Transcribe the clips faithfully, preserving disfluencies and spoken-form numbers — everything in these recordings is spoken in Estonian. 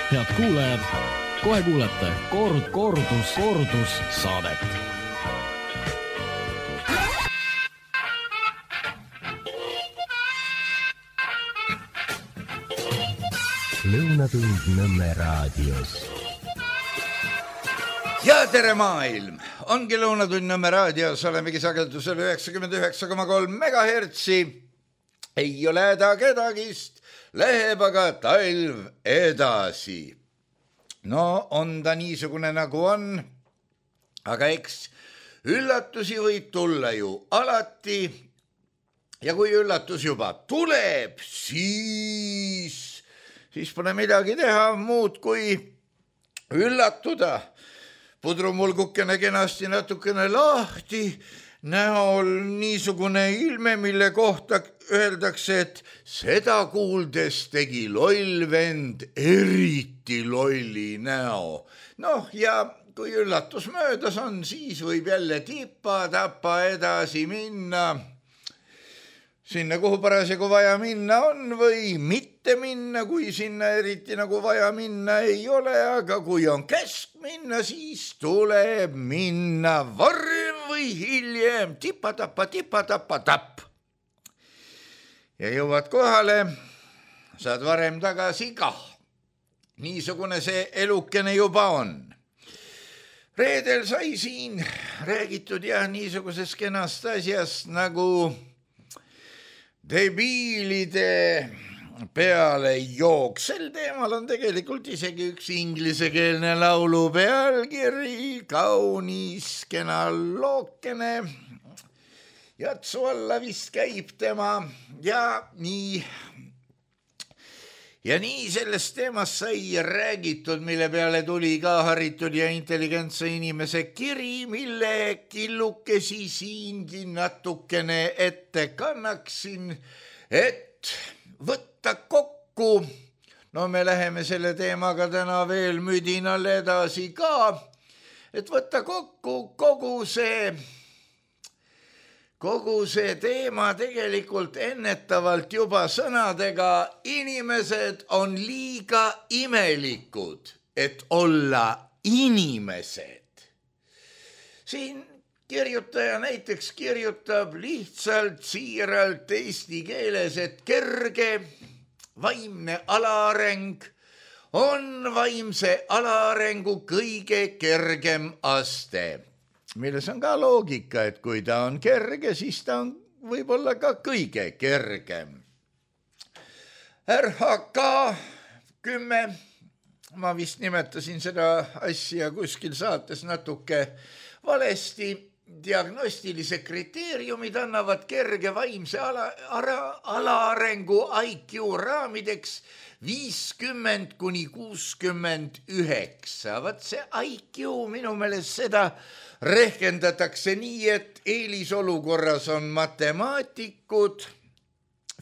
Head kuulajad, kohe kuulete kord, kordus, kordus saadet. Lõunatund Nõmme raadios. Ja tere maailm! Ongi Lõunatund Nõmme raadios, olemegi sagedusel üheksakümmend üheksa koma kolm megahertsi. Ei ole häda kedagist, läheb aga talv edasi. No on ta niisugune nagu on, aga eks üllatusi võib tulla ju alati. Ja kui üllatus juba tuleb, siis... siis pole midagi teha muud kui üllatuda. Pudrumulgukene kenasti natukene lahti, näol niisugune ilme, mille kohta öeldakse, et seda kuuldes tegi loll vend eriti lolli näo. Noh, ja kui üllatus möödas on, siis võib jälle tippa-tappa edasi minna. Sinna, kuhu parasjagu vaja minna on või mitte minna, kui sinna eriti nagu vaja minna ei ole, aga kui on käsk minna, siis tuleb minna varem või hiljem, tippa-tappa, tippa-tappa, tapp. Ja jõuad kohale, saad varem tagasi kah. Niisugune see elukene juba on. Reedel sai siin räägitud ja niisuguses kenast asjast nagu... debiilide peale jook. Sel teemal on tegelikult isegi üks inglisekeelne laulu pealkiri, kaunis kena lookene. Jatsu alla vist käib tema ja nii. Ja nii sellest teemast sai räägitud, mille peale tuli ka haritud ja intelligentse inimese kiri, mille killukesi siingi natukene ette kannaksin, et võtta kokku. No me läheme selle teemaga täna veel müdinal edasi ka, et võtta kokku kogu see... Kogu see teema tegelikult ennetavalt juba sõnadega inimesed on liiga imelikud, et olla inimesed. Siin kirjutaja näiteks kirjutab lihtsalt siiralt eesti keeles, et kerge vaimne alaareng on vaimse alaarengu kõige kergem aste. Milles on ka loogika, et kui ta on kerge, siis ta on võib-olla ka kõige kergem. R H K kümme, ma vist nimetasin seda asja kuskil saates natuke valesti, diagnostilise kriteeriumid annavad kerge vaimse ala, ala, alaarengu I Q raamideks viiskümmend kuni kuuskümmend üheksa. Vat see I Q minu meelest seda rehkendatakse nii, et eelisolukorras on matemaatikud,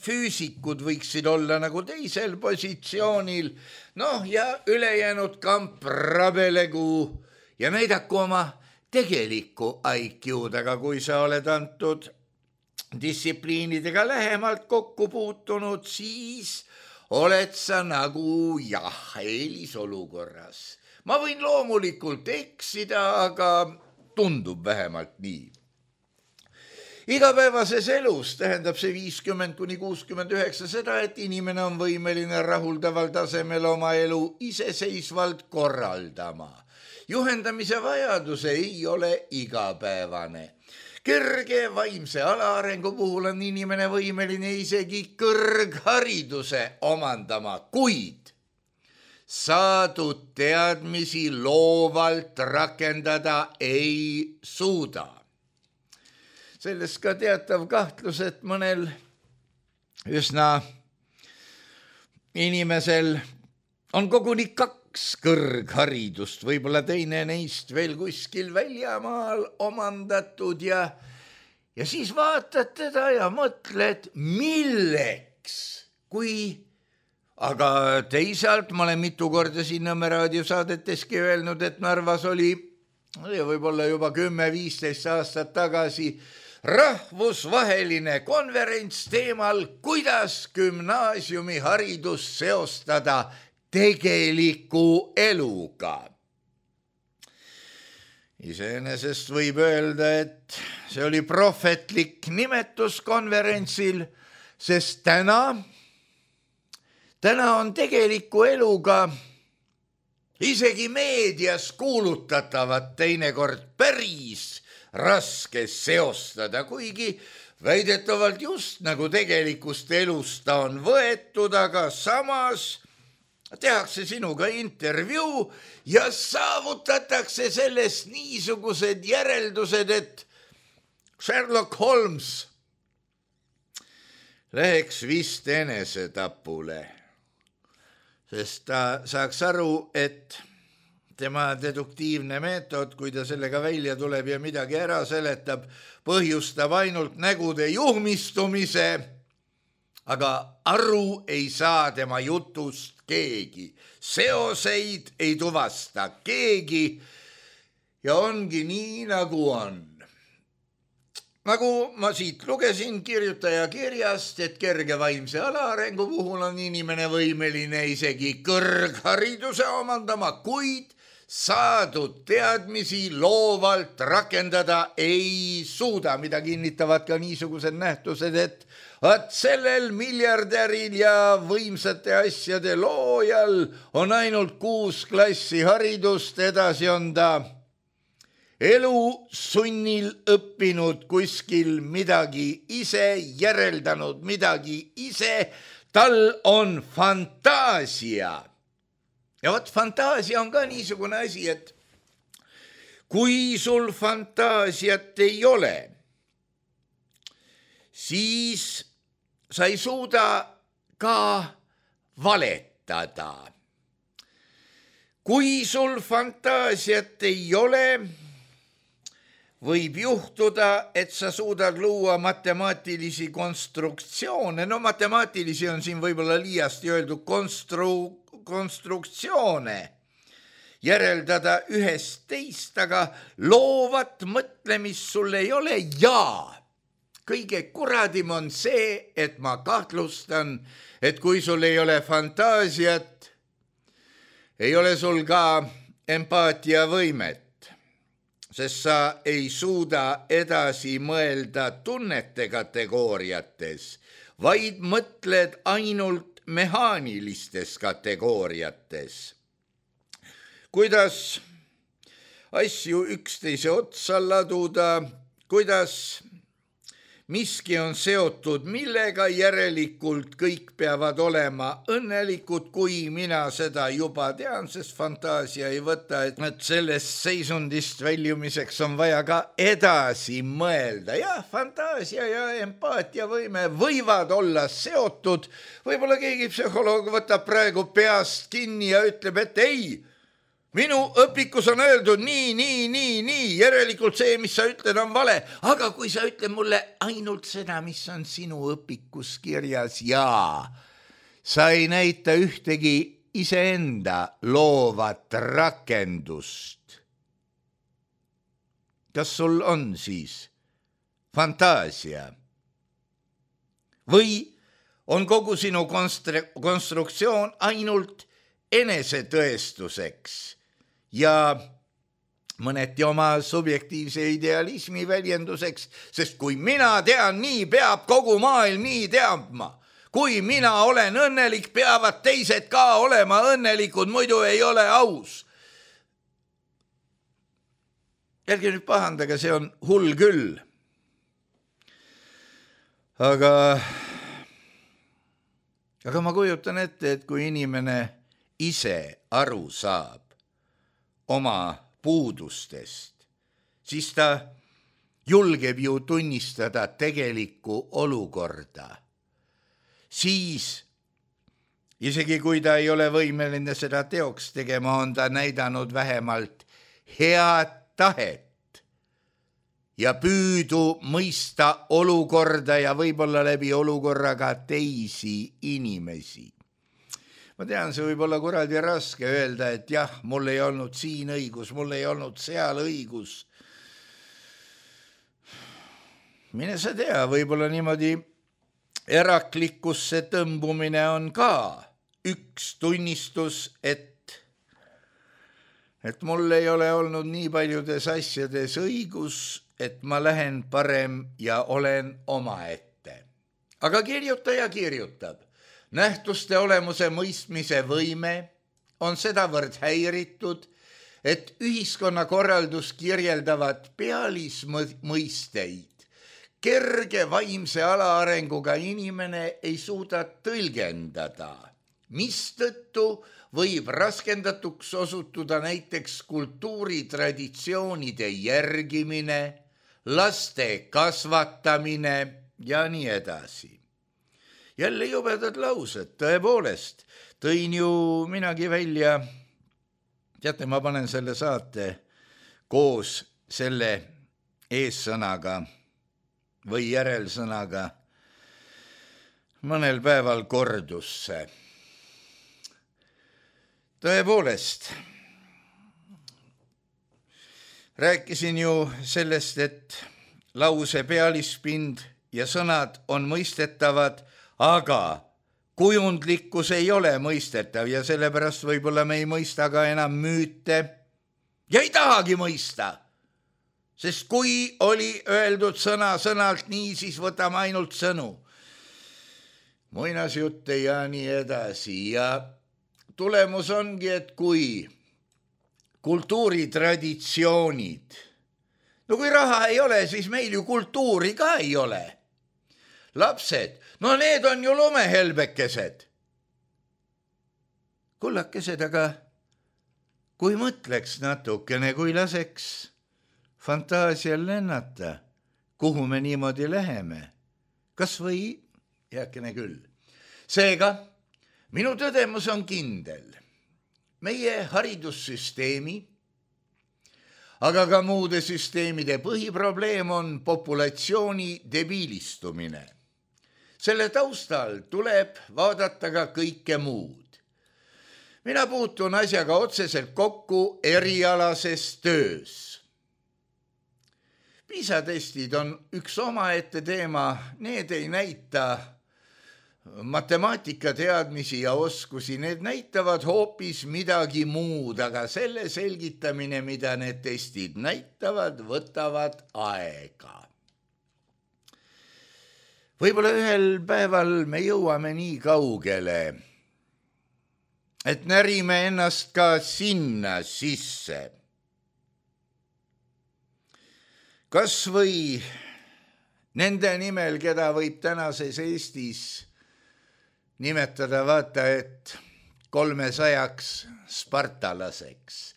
füüsikud võiksid olla nagu teisel positsioonil, noh ja ülejäänud kamp rabelegu ja näidaku oma tegelikku I Q-d, aga kui sa oled antud distsipliinidega lähemalt kokku puutunud, siis oled sa nagu jah, eelisolukorras. Ma võin loomulikult eksida, aga tundub vähemalt nii. Igapäevases elus tähendab see viiskümmend kuni kuuskümmend üheksa seda, et inimene on võimeline rahuldaval tasemel oma elu iseseisvalt korraldama. Juhendamise vajadus ei ole igapäevane. Kerge vaimse alaarengu puhul on inimene võimeline isegi kõrghariduse omandama, kuid saadud teadmisi loovalt rakendada ei suuda. Sellest ka teatav kahtlus, et mõnel üsna inimesel on koguni kaks kõrgharidust, võib-olla teine neist veel kuskil väljamaal omandatud ja, ja siis vaatad teda ja mõtled, milleks, kui... Aga teisalt ma olen mitu korda siin Nõmme raadiosaadeteski öelnud, et Narvas oli võib-olla juba kümme viisteist aastat tagasi rahvusvaheline konverents teemal, kuidas gümnaasiumiharidust seostada tegeliku eluga. Iseenesest võib öelda, et see oli prohvetlik nimetus konverentsil, sest täna, täna on tegeliku eluga isegi meedias kuulutatavat teinekord päris raske seostada, kuigi väidetavalt just nagu tegelikust elust ta on võetud, aga samas tehakse sinuga intervjuu ja saavutatakse sellest niisugused järeldused, et Sherlock Holmes läheks vist enesetapule, sest ta saaks aru, et tema deduktiivne meetod, kui ta sellega välja tuleb ja midagi ära seletab, põhjustab ainult nägude juhmistumise, aga aru ei saa tema jutust keegi. Seoseid ei tuvasta keegi ja ongi nii, nagu on. Nagu ma siit lugesin kirjutaja kirjast, et kerge vaimse alaarengu puhul on inimene võimeline isegi kõrghariduse omandama, kuid saadud teadmisi loovalt rakendada ei suuda, mida kinnitavad ka niisugused nähtused, et at sellel miljardäril ja võimsate asjade loojal on ainult kuus klassi haridust, edasi on ta elu sunnil õppinud kuskil midagi ise, järeldanud midagi ise, tal on fantaasia. Ja vot fantaasia on ka niisugune asi, et kui sul fantaasiat ei ole, siis sa ei suuda ka valetada. Kui sul fantaasiat ei ole, võib juhtuda, et sa suudad luua matemaatilisi konstruktsioone. No matemaatilisi on siin võib-olla liiasti öeldud konstru- konstruktsioone. Järeldada ühest teist, aga loovat mõtlemist sul ei ole ja kõige kuradim on see, et ma kahtlustan, et kui sul ei ole fantaasiat, ei ole sul ka empaatiavõimet, sest sa ei suuda edasi mõelda tunnete kategooriates, vaid mõtled ainult mehaanilistes kategooriates. Kuidas asju üksteise otsa laduda, kuidas miski on seotud millega, järelikult kõik peavad olema õnnelikud, kui mina seda juba tean, sest fantaasia ei võta, et sellest seisundist väljumiseks on vaja ka edasi mõelda. Jah, fantaasia ja empaatiavõime võivad olla seotud. Võib-olla keegi psühholoog võtab praegu peast kinni ja ütleb, et ei, minu õpikus on öeldud nii, nii, nii, nii, järelikult see, mis sa ütled, on vale. Aga kui sa ütled mulle ainult seda, mis on sinu õpikus kirjas ja sa ei näita ühtegi iseenda loovat rakendust, kas sul on siis fantaasia? Või on kogu sinu konstru- konstruktsioon ainult enesetõestuseks ja mõneti oma subjektiivse idealismi väljenduseks, sest kui mina tean nii, peab kogu maailm nii teadma. Kui mina olen õnnelik, peavad teised ka olema õnnelikud, muidu ei ole aus. Ärge nüüd pahandage, see on hull küll. Aga, aga ma kujutan ette, et kui inimene ise aru saab oma puudustest, siis ta julgeb ju tunnistada tegelikku olukorda. Siis, isegi kui ta ei ole võimeline seda teoks tegema, on ta näidanud vähemalt head tahet ja püüdu mõista olukorda ja võib-olla läbi olukorraga teisi inimesi. Ma tean, see võib olla kuradi raske öelda, et jah, mul ei olnud siin õigus, mul ei olnud seal õigus. Mine sa tea, võib-olla niimoodi eraklikkusse tõmbumine on ka üks tunnistus, et, et mul ei ole olnud nii paljudes asjades õigus, et ma lähen parem ja olen omaette. Aga kirjutaja kirjutab, nähtuste olemuse mõistmise võime on sedavõrd häiritud, et ühiskonnakorraldus kirjeldavad pealismõisteid. Kerge vaimse alaarenguga inimene ei suuda tõlgendada, mistõttu võib raskendatuks osutuda näiteks kultuuritraditsioonide järgimine, laste kasvatamine ja nii edasi. Jälle jubedad laused, tõepoolest, tõin ju minagi välja. Teate, ma panen selle saate koos selle eessõnaga või järelsõnaga mõnel päeval kordusse. Tõepoolest, rääkisin ju sellest, et lause pealispind ja sõnad on mõistetavad, aga kujundlikkus ei ole mõistetav ja sellepärast võib-olla me ei mõista ka enam müüte ja ei tahagi mõista, sest kui oli öeldud sõna sõnalt nii, siis võtame ainult sõnu. Muinasjutte ja nii edasi ja tulemus ongi, et kui kultuuritraditsioonid, no kui raha ei ole, siis meil ju kultuuri ka ei ole. Lapsed, no need on ju lumehelbekesed. Kullakesed, aga kui mõtleks natukene, kui laseks fantaasial lennata, kuhu me niimoodi läheme, kas või jääkene küll. Seega, minu tõdemus on kindel. Meie haridussüsteemi, aga ka muude süsteemide põhiprobleem on populatsiooni debiilistumine. Selle taustal tuleb vaadata ka kõike muud. Mina puutun asjaga otseselt kokku erialases töös. PISA-testid on üks omaette teema, need ei näita matemaatikateadmisi ja oskusi, need näitavad hoopis midagi muud, aga selle selgitamine, mida need testid näitavad, võtavad aega. Võib-olla ühel päeval me jõuame nii kaugele, et närime ennast ka sinna sisse. Kas või nende nimel, keda võib tänases Eestis nimetada vaata, et kolmesajaks spartalaseks.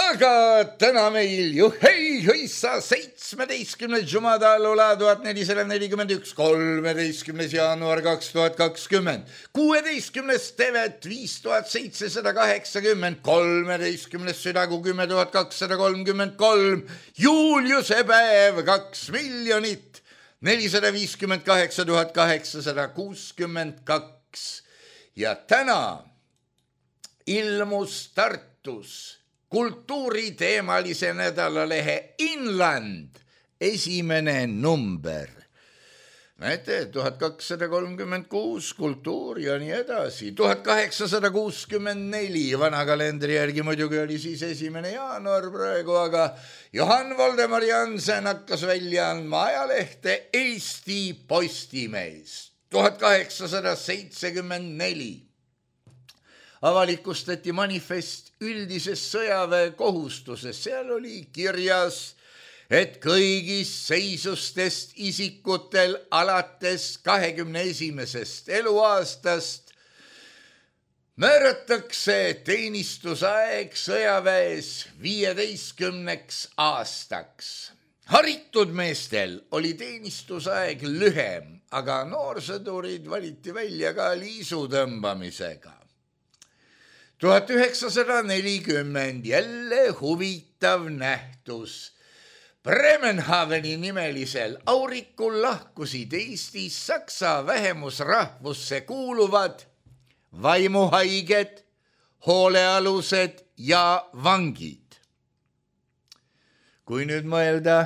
Aga täna meil ju hei hõissa seitsmeteistkümnes Jumadalula tuhat nelisada nelikümmend üks, kolmeteistkümnes jaanuar kaks tuhat kakskümmend, kuueteistkümnes Tevet viis tuhat seitsesada kaheksakümmend, kolmeteistkümnes Südagu kümme tuhat kakssada kolmkümmend kolm, Juuliuse päev kaks miljonit nelisada viiskümmend kaheksa tuhat kaheksasada kuuskümmend kaks ja täna ilmus Tartus kultuuriteemalise nädalalehe Inland esimene number. Näete, tuhat kakssada kolmkümmend kuus kultuur ja nii edasi. tuhat kaheksasada kuuskümmend neli vana kalendri järgi muidugi oli siis esimene jaanuar praegu, aga Johann Voldemar Jansen hakkas välja andma ajalehte Eesti Postimees. tuhat kaheksasada seitsekümmend neli avalikustati manifest üldisest sõjaväe kohustusest. Seal oli kirjas, et kõigist seisustest isikutel alates kahekümne esimesest eluaastast määratakse teenistusaeg sõjaväes viieteistkümneks aastaks. Haritud meestel oli teenistusaeg lühem, aga noorsõdurid valiti välja ka liisu tõmbamisega. tuhat üheksasada nelikümmend jälle huvitav nähtus. Bremenhaveni nimelisel aurikul lahkusid Eestis saksa vähemusrahvusse kuuluvad vaimuhaiged, hoolealused ja vangid. Kui nüüd mõelda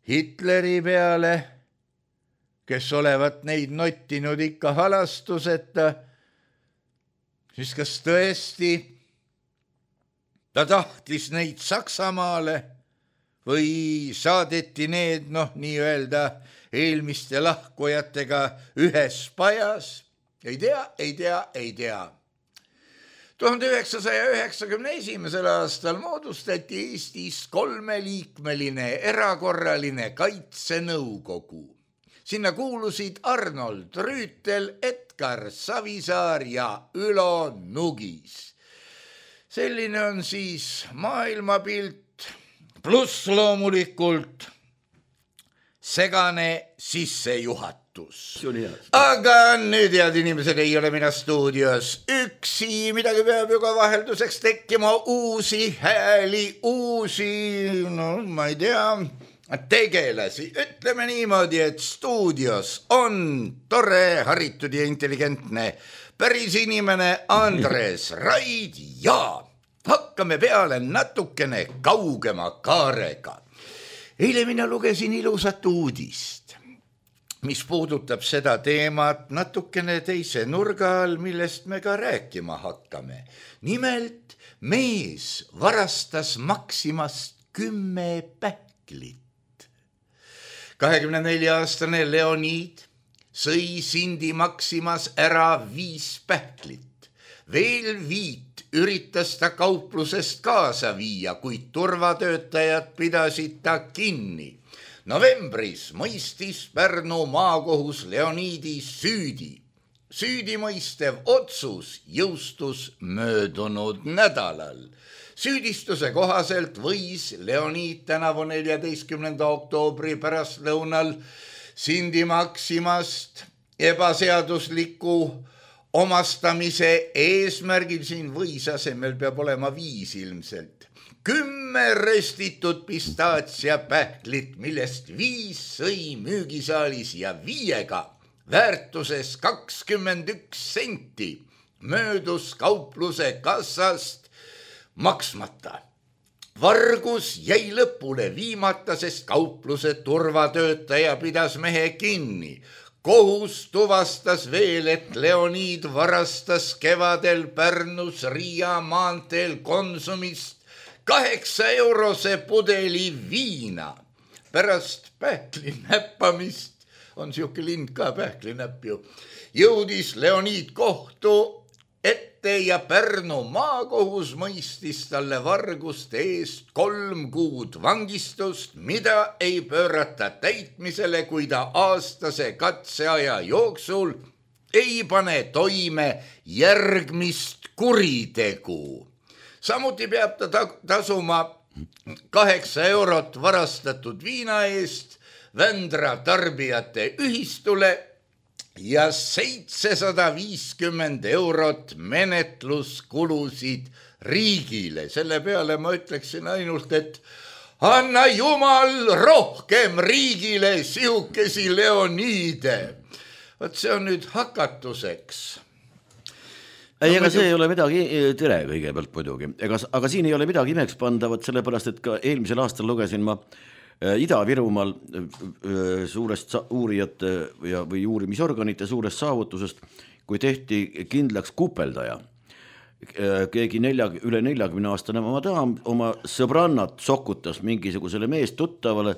Hitleri peale, kes olevat neid nottinud ikka halastuseta, siis kas tõesti ta tahtis neid Saksamaale või saadeti need, noh, nii-öelda eelmiste lahkujatega ühes pajas? Ei tea, ei tea, ei tea. tuhande üheksasaja üheksakümne esimesel aastal moodustati Eestis kolmeliikmeline erakorraline kaitsenõukogu. Sinna kuulusid Arnold Rüütel, Edgar Savisaar ja Ülo Nugis. Selline on siis maailmapilt, pluss loomulikult segane sissejuhatus. Aga nüüd, head inimesed, ei ole mina stuudios üksi, midagi peab ju ka vahelduseks tekkima, uusi hääli, uusi, no ma ei tea, tegelasi. Ütleme niimoodi, et stuudios on tore, haritud ja intelligentne päris inimene Andres Raid ja hakkame peale natukene kaugema kaarega. Eile mina lugesin ilusat uudist, mis puudutab seda teemat natukene teise nurga all, millest me ka rääkima hakkame. Nimelt, mees varastas Maximast kümme pähklit. kahekümne nelja aastane Leonid sõi Sindi Maximas ära viis pähklit. Veel viit üritas ta kauplusest kaasa viia, kuid turvatöötajad pidasid ta kinni. Novembris mõistis Pärnu maakohus Leonidi süüdi. Süüdimõistev otsus jõustus möödunud nädalal. Süüdistuse kohaselt võis Leonid tänavu neljateistkümnenda oktoobri pärastlõunal Sindi Maximast ebaseadusliku omastamise eesmärgil, siin võis asemel peab olema viis ilmselt, kümme röstitud pistaatsia pähklit, millest viis sõi müügisaalis ja viiega väärtuses kakskümmend üks senti möödus kaupluse kassast maksmata. Vargus jäi lõpule viimata, sest kaupluse turvatöötaja pidas mehe kinni. Kohus tuvastas veel, et Leonid varastas kevadel Pärnus Riia maanteel Konsumist kaheksa eurose pudeli viina. Pärast pähkli näppamist, on siuke lind ka pähklinäpp ju, jõudis Leonid kohtu ette ja Pärnu maakohus mõistis talle varguste eest kolm kuud vangistust, mida ei pöörata täitmisele, kui ta aastase katseaja jooksul ei pane toime järgmist kuritegu. Samuti peab ta tasuma kaheksa eurot varastatud viina eest Vändra tarbijate ühistule ja seitsesada viiskümmend eurot menetluskulusid riigile. Selle peale ma ütleksin ainult, et anna jumal rohkem riigile siukesi Leonide. Võt see on nüüd hakatuseks. Ei, ega see ei ole midagi, tere kõigepealt muidugi, ega, aga siin ei ole midagi imeks pandavat, sellepärast, et ka eelmisel aastal lugesin ma Ida-Virumaal suurest uurijate ja, või uurimisorganite suurest saavutusest, kui tehti kindlaks kupeldaja. Keegi nelja, üle neljakümne aastane ma tahan oma sõbrannat sokutas mingisugusele meest tuttavale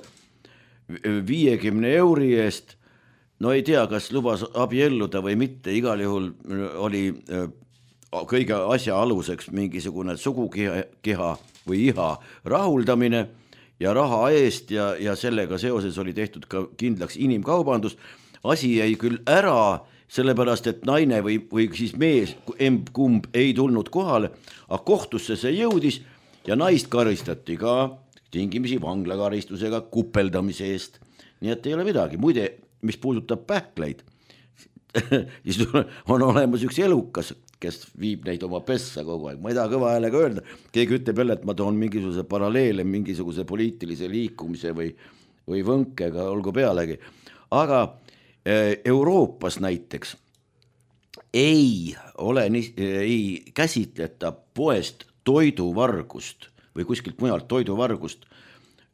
viiekümne euri eest. No ei tea, kas lubas abielluda või mitte, igal juhul oli kõige asja aluseks mingisugune sugukiha või iha rahuldamine ja raha eest ja, ja sellega seoses oli tehtud ka kindlaks inimkaubandus. Asi jäi küll ära, sellepärast et naine või, või siis mees, kumb ei tulnud kohale, aga kohtusse see jõudis ja naist karistati ka tingimisi vanglakaristusega kupeldamise eest. Nii et ei ole midagi. Muide, mis puudutab pähkleid, siis on olemas üks elukas, kes viib neid oma pessa kogu aeg. Ma ei taha kõva häälega öelda. Keegi ütleb jälle, et ma toon mingisuguse paralleele, mingisuguse poliitilise liikumise või, või võnkega, olgu pealegi. Aga Euroopas näiteks ei ole, ei käsitleta poest toiduvargust või kuskilt mujalt toiduvargust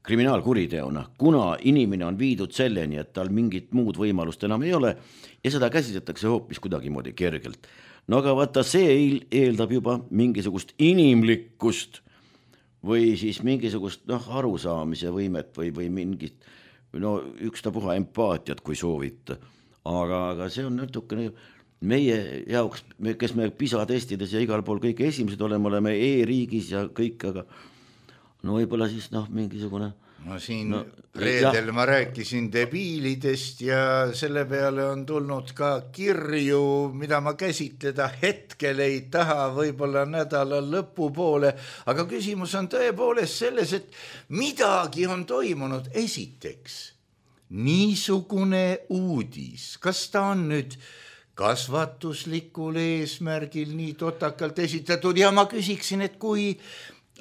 kriminaalkuriteona, kuna inimene on viidud selleni, et tal mingit muud võimalust enam ei ole ja seda käsitletakse hoopis kuidagimoodi kergelt. No aga vaata, see eeldab juba mingisugust inimlikkust või siis mingisugust noh, arusaamise võimet või, või mingit no, ükstapuha empaatiat, kui soovita. Aga, aga see on natukene meie jaoks, kes me PISA testides ja igal pool kõik esimesed oleme, oleme e-riigis ja kõik, aga no võib-olla siis noh, mingisugune no siin no, reedel jah. Ma rääkisin debiilidest ja selle peale on tulnud ka kirju, mida ma käsitleda hetkel ei taha, võib-olla nädala lõpupoole, aga küsimus on tõepoolest selles, et midagi on toimunud. Esiteks, niisugune uudis, kas ta on nüüd kasvatuslikul eesmärgil nii totakalt esitatud ja ma küsiksin, et kui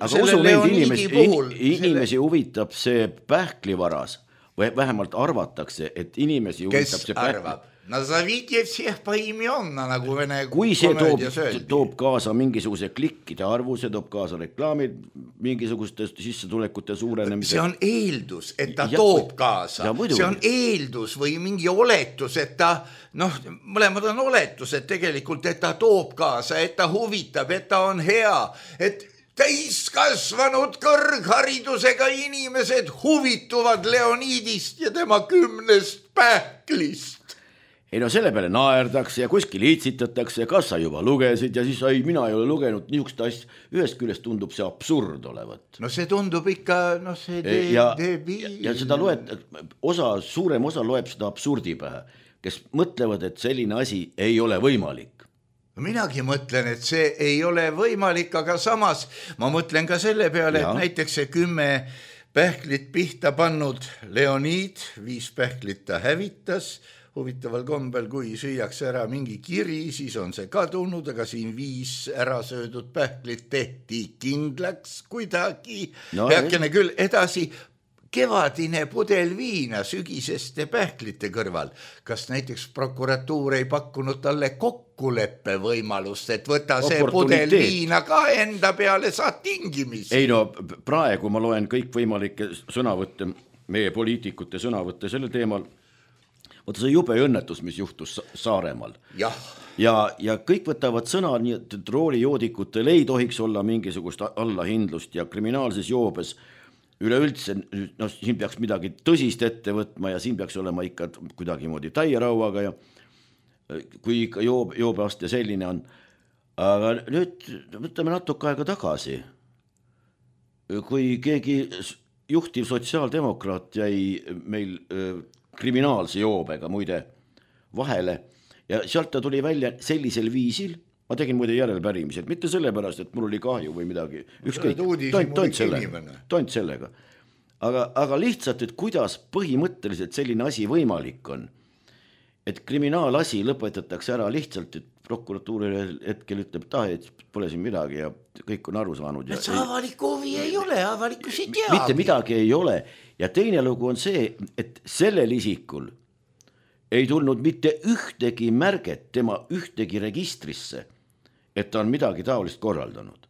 aga usu neid inimesi, puhul, inimesi selle... huvitab see pähklivaras või vähemalt arvatakse, et inimesi huvitab kes see pähkli. Arvab? Nazavite всех поименно, nagu vene kui see toob, toob kaasa mingisuguse klikkide arvu, see toob kaasa reklaamid mingisuguste sissetulekute suurenemise. See on eeldus, et ta ja, toob kaasa. See on eeldus või mingi oletus, et ta, noh, mõlemad on oletused tegelikult, et ta toob kaasa, et ta huvitab, et ta on hea, et täiskasvanud kõrgharidusega inimesed huvituvad Leonidist ja tema kümnest pähklist. Ei no selle peale naerdakse ja kuskil itsitatakse ja kas sa juba lugesid ja siis ei, mina ei ole lugenud niisugust asja. Ühest küljest tundub see absurd olevat. No see tundub ikka, noh see de, ja, debiil. Ja, ja seda loed, osa, suurem osa loeb seda absurdi pähe, kes mõtlevad, et selline asi ei ole võimalik. Minagi mõtlen, et see ei ole võimalik, aga samas ma mõtlen ka selle peale, ja. Et näiteks see kümme pähklit pihta pannud Leonid, viis pähklit ta hävitas, huvitaval kombel, kui süüakse ära mingi kiri, siis on see kadunud, aga siin viis ära söödud pähklit tehti kindlaks kuidagi, no, peakene ei. Küll edasi, kevadine pudel viina sügiseste pähklite kõrval. Kas näiteks prokuratuur ei pakkunud talle kokkuleppe võimalust, et võta see pudel viina ka enda peale, saad tingimisi? Ei no, praegu ma loen kõik võimalikke sõnavõtte, meie poliitikute sõnavõtte selle teemal. Võtta see jube õnnetus, mis juhtus Saaremaal. Ja. Ja, ja kõik võtavad sõna, nii et roolijoodikutel ei tohiks olla mingisugust allahindlust ja kriminaalses joobes üleüldse, no siin peaks midagi tõsist ette võtma ja siin peaks olema ikka kuidagimoodi täierauaga ja kui ikka joob, joobeaste selline on. Aga nüüd võtame natuke aega tagasi. Kui keegi juhtiv sotsiaaldemokraat jäi meil kriminaalse joobega muide vahele ja sealt ta tuli välja sellisel viisil. Ma tegin muide järelpärimised, mitte sellepärast, et mul oli kahju või midagi. Ükskõik, toint, toint, sellega, toint sellega. Aga, aga lihtsalt, et kuidas põhimõtteliselt selline asi võimalik on, et kriminaalasi lõpetatakse ära lihtsalt, et prokuratuuri hetkel ütleb, ta, et pole siin midagi ja kõik on aru saanud. Et see avaliku huvi ei ole, avalikus ei teagi. Mitte midagi ei ole. Ja teine lugu on see, et sellel isikul ei tulnud mitte ühtegi märget tema ühtegi registrisse, et ta on midagi taolist korraldanud.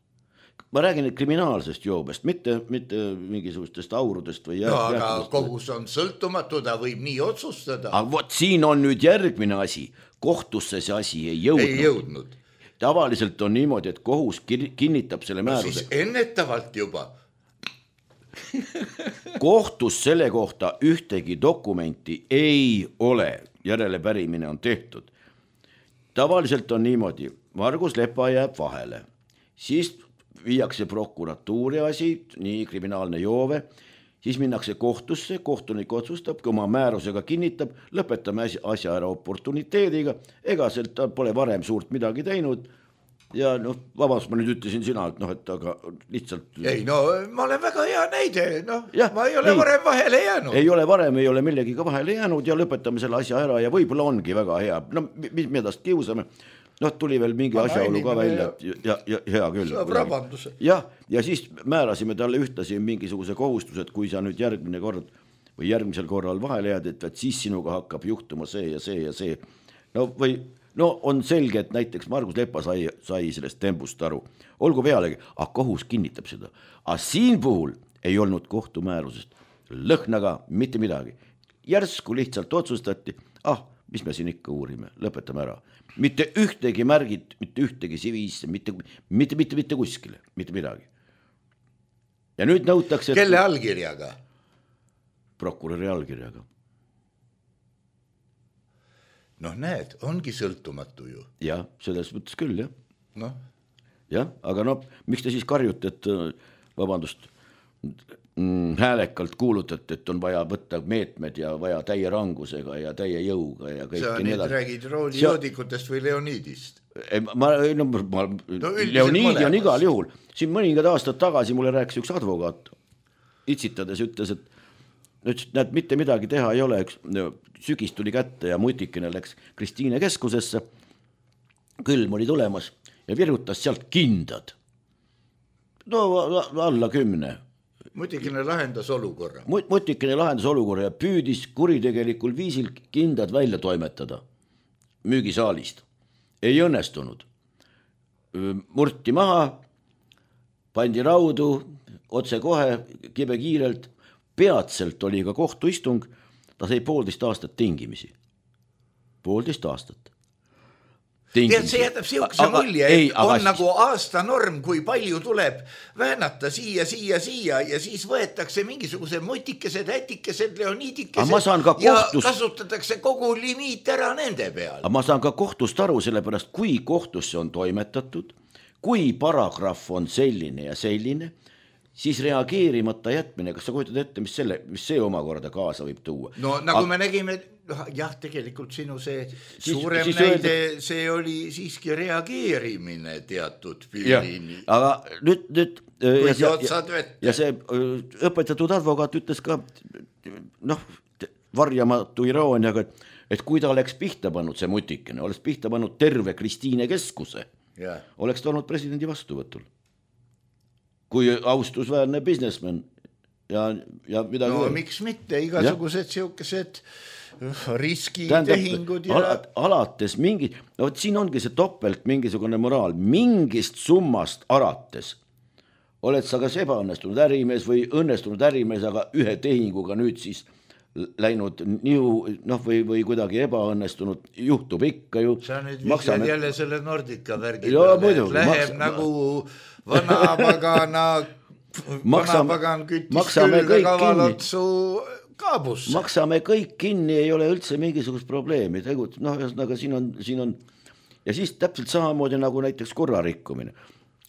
Ma räägin kriminaalsest joobest, mitte, mitte mingisugustest aurudest või no, aga kohus on sõltumatu, ta võib nii otsustada. Aga võt, siin on nüüd järgmine asi. Kohtusse see asi ei jõudnud. Ei jõudnud. Tavaliselt on niimoodi, et kohus kinnitab selle määruse. No siis ennetavalt juba. Kohtus selle kohta ühtegi dokumenti ei ole. Järelepärimine on tehtud. Tavaliselt on niimoodi, Margus Lepa jääb vahele, siis viiakse prokuratuuri asi, nii kriminaalne joove, siis minnakse kohtusse, kohtunik otsustab, kui oma määrusega kinnitab, lõpetame asja ära oportuniteediga, ega sealt pole varem suurt midagi teinud ja noh, vabandust, ma nüüd ütlesin sina, et noh, et aga lihtsalt... Ei, no ma olen väga hea näide, noh, ja, ma ei ole ei, varem vahele jäänud. Ei ole varem, ei ole millegiga vahele jäänud ja lõpetame selle asja ära ja võib-olla ongi väga hea. No, mis me edast kiusame? Noh, tuli veel mingi asjaolu ka välja, ja, ja hea küll. Saab rabanduse. Ja, ja siis määrasime talle ühtasi mingisuguse kohustused, kui sa nüüd järgmine kord või järgmisel korral vahele jääd, et, et siis sinuga hakkab juhtuma see ja see ja see. No või... No on selge, et näiteks Margus Lepa sai, sai sellest tembust aru. Olgu pealegi, aga kohus kinnitab seda. Aga siin puhul ei olnud kohtumäärusest lõhnaga mitte midagi. Järsku lihtsalt otsustati, ah, mis me siin ikka uurime, lõpetame ära. Mitte ühtegi märgid, mitte ühtegi siviisse, mitte, mitte, mitte, mitte kuskile, mitte midagi. Ja nüüd nõutakse... Kelle allkirjaga? Prokuröri allkirjaga. Noh, näed, ongi sõltumatu ju. Jah, selles mõttes küll, jah. Noh. Jah, aga no, miks te siis karjute, et vabandust, mm, häälekalt kuulutate, et on vaja võtta meetmed ja vaja täie rangusega ja täie jõuga ja kõik. Sa nüüd räägid roolijoodikutest või Leonidist? Ma, no, ma, no, Leonidi on igal juhul. Siin mõningad aastad tagasi mulle rääkis üks advokaat, itsitades ütles, et nüüd, näed, mitte midagi teha ei ole, üks sügis tuli kätte ja mutikene läks Kristiine keskusesse, külm oli tulemas ja virutas sealt kindad. No alla kümne. Mutikene lahendas olukorra. Mutikene lahendas olukorra ja püüdis kuritegelikul viisil kindad välja toimetada müügisaalist. Ei õnnestunud. Murti maha, pandi raudu, otse kohe, kibe kiirelt, peatselt oli ka kohtuistung, ta sai poolteist aastat tingimisi. Poolteist aastat. Tead, see jätab siukse mulje, et ei, on aga... nagu aasta norm, kui palju tuleb väänata siia, siia, siia ja siis võetakse mingisuguse mutikesed, ätikesed, leonidikesed kohtus... ja kasutatakse kogu limiit ära nende peal. Aga ma saan ka kohtust aru sellepärast, kui kohtusse on toimetatud, kui paragrahv on selline ja selline, siis reageerimata jätmine, kas sa kujutad ette, mis, selle, mis see omakorda kaasa võib tuua? No nagu aga... me nägime, jah, tegelikult sinu see siis, suurem siis näide, öelda... see oli siiski reageerimine teatud piirini. Aga nüüd, nüüd ja, ja, ja, ja see õpetatud advokaat ütles ka, noh, varjamatu irooniaga, et, et kui ta oleks pihta pannud see mutikene, oleks pihta pannud terve Kristiine keskuse, ja. Oleks ta olnud presidendi vastuvõtul. Kui austusväärne businessman ja, ja midagi. No veel. Miks mitte, igasugused siukesed riskitehingud ja... Al alates mingi, no võt, siin ongi see topelt mingisugune moraal, mingist summast arates oled sa kas ebaõnnestunud ärimees või õnnestunud ärimees, aga ühe tehinguga nüüd siis läinud niu, noh, või, või kuidagi ebaõnnestunud, juhtub ikka ju. Sa nüüd maksame... jälle selle Nordica värgi peale, läheb maks... nagu vanapagana vanapagan küttis külge kavalotsu kaabusse. Maksame kõik kinni, ei ole üldse mingisugust probleemi. Tegut, noh, aga siin on, siin on, ja siis täpselt samamoodi nagu näiteks korrarikkumine.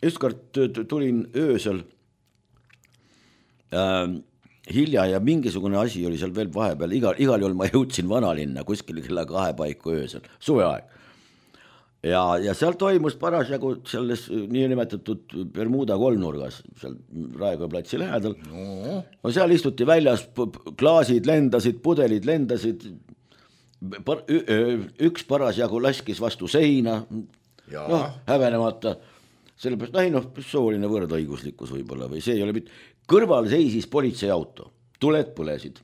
Ükskord tulin öösel äh, hilja ja mingisugune asi oli seal veel vahepeal. Igal, igal juhul ma jõudsin vanalinna kuskil kella kahe paiku öösel, suveaeg. Ja, ja seal toimus parasjagu selles niinimetatud Bermuda kolmnurgas, seal Raekoja platsi lähedal. No. No seal istuti väljas, klaasid lendasid, pudelid lendasid, üks parasjagu laskis vastu seina, ja. Noh, hävenemata, sellepärast, ei noh, sooline võrdõiguslikkus võib-olla või see ei ole mitte, kõrval seisis politseiauto, tuled põlesid.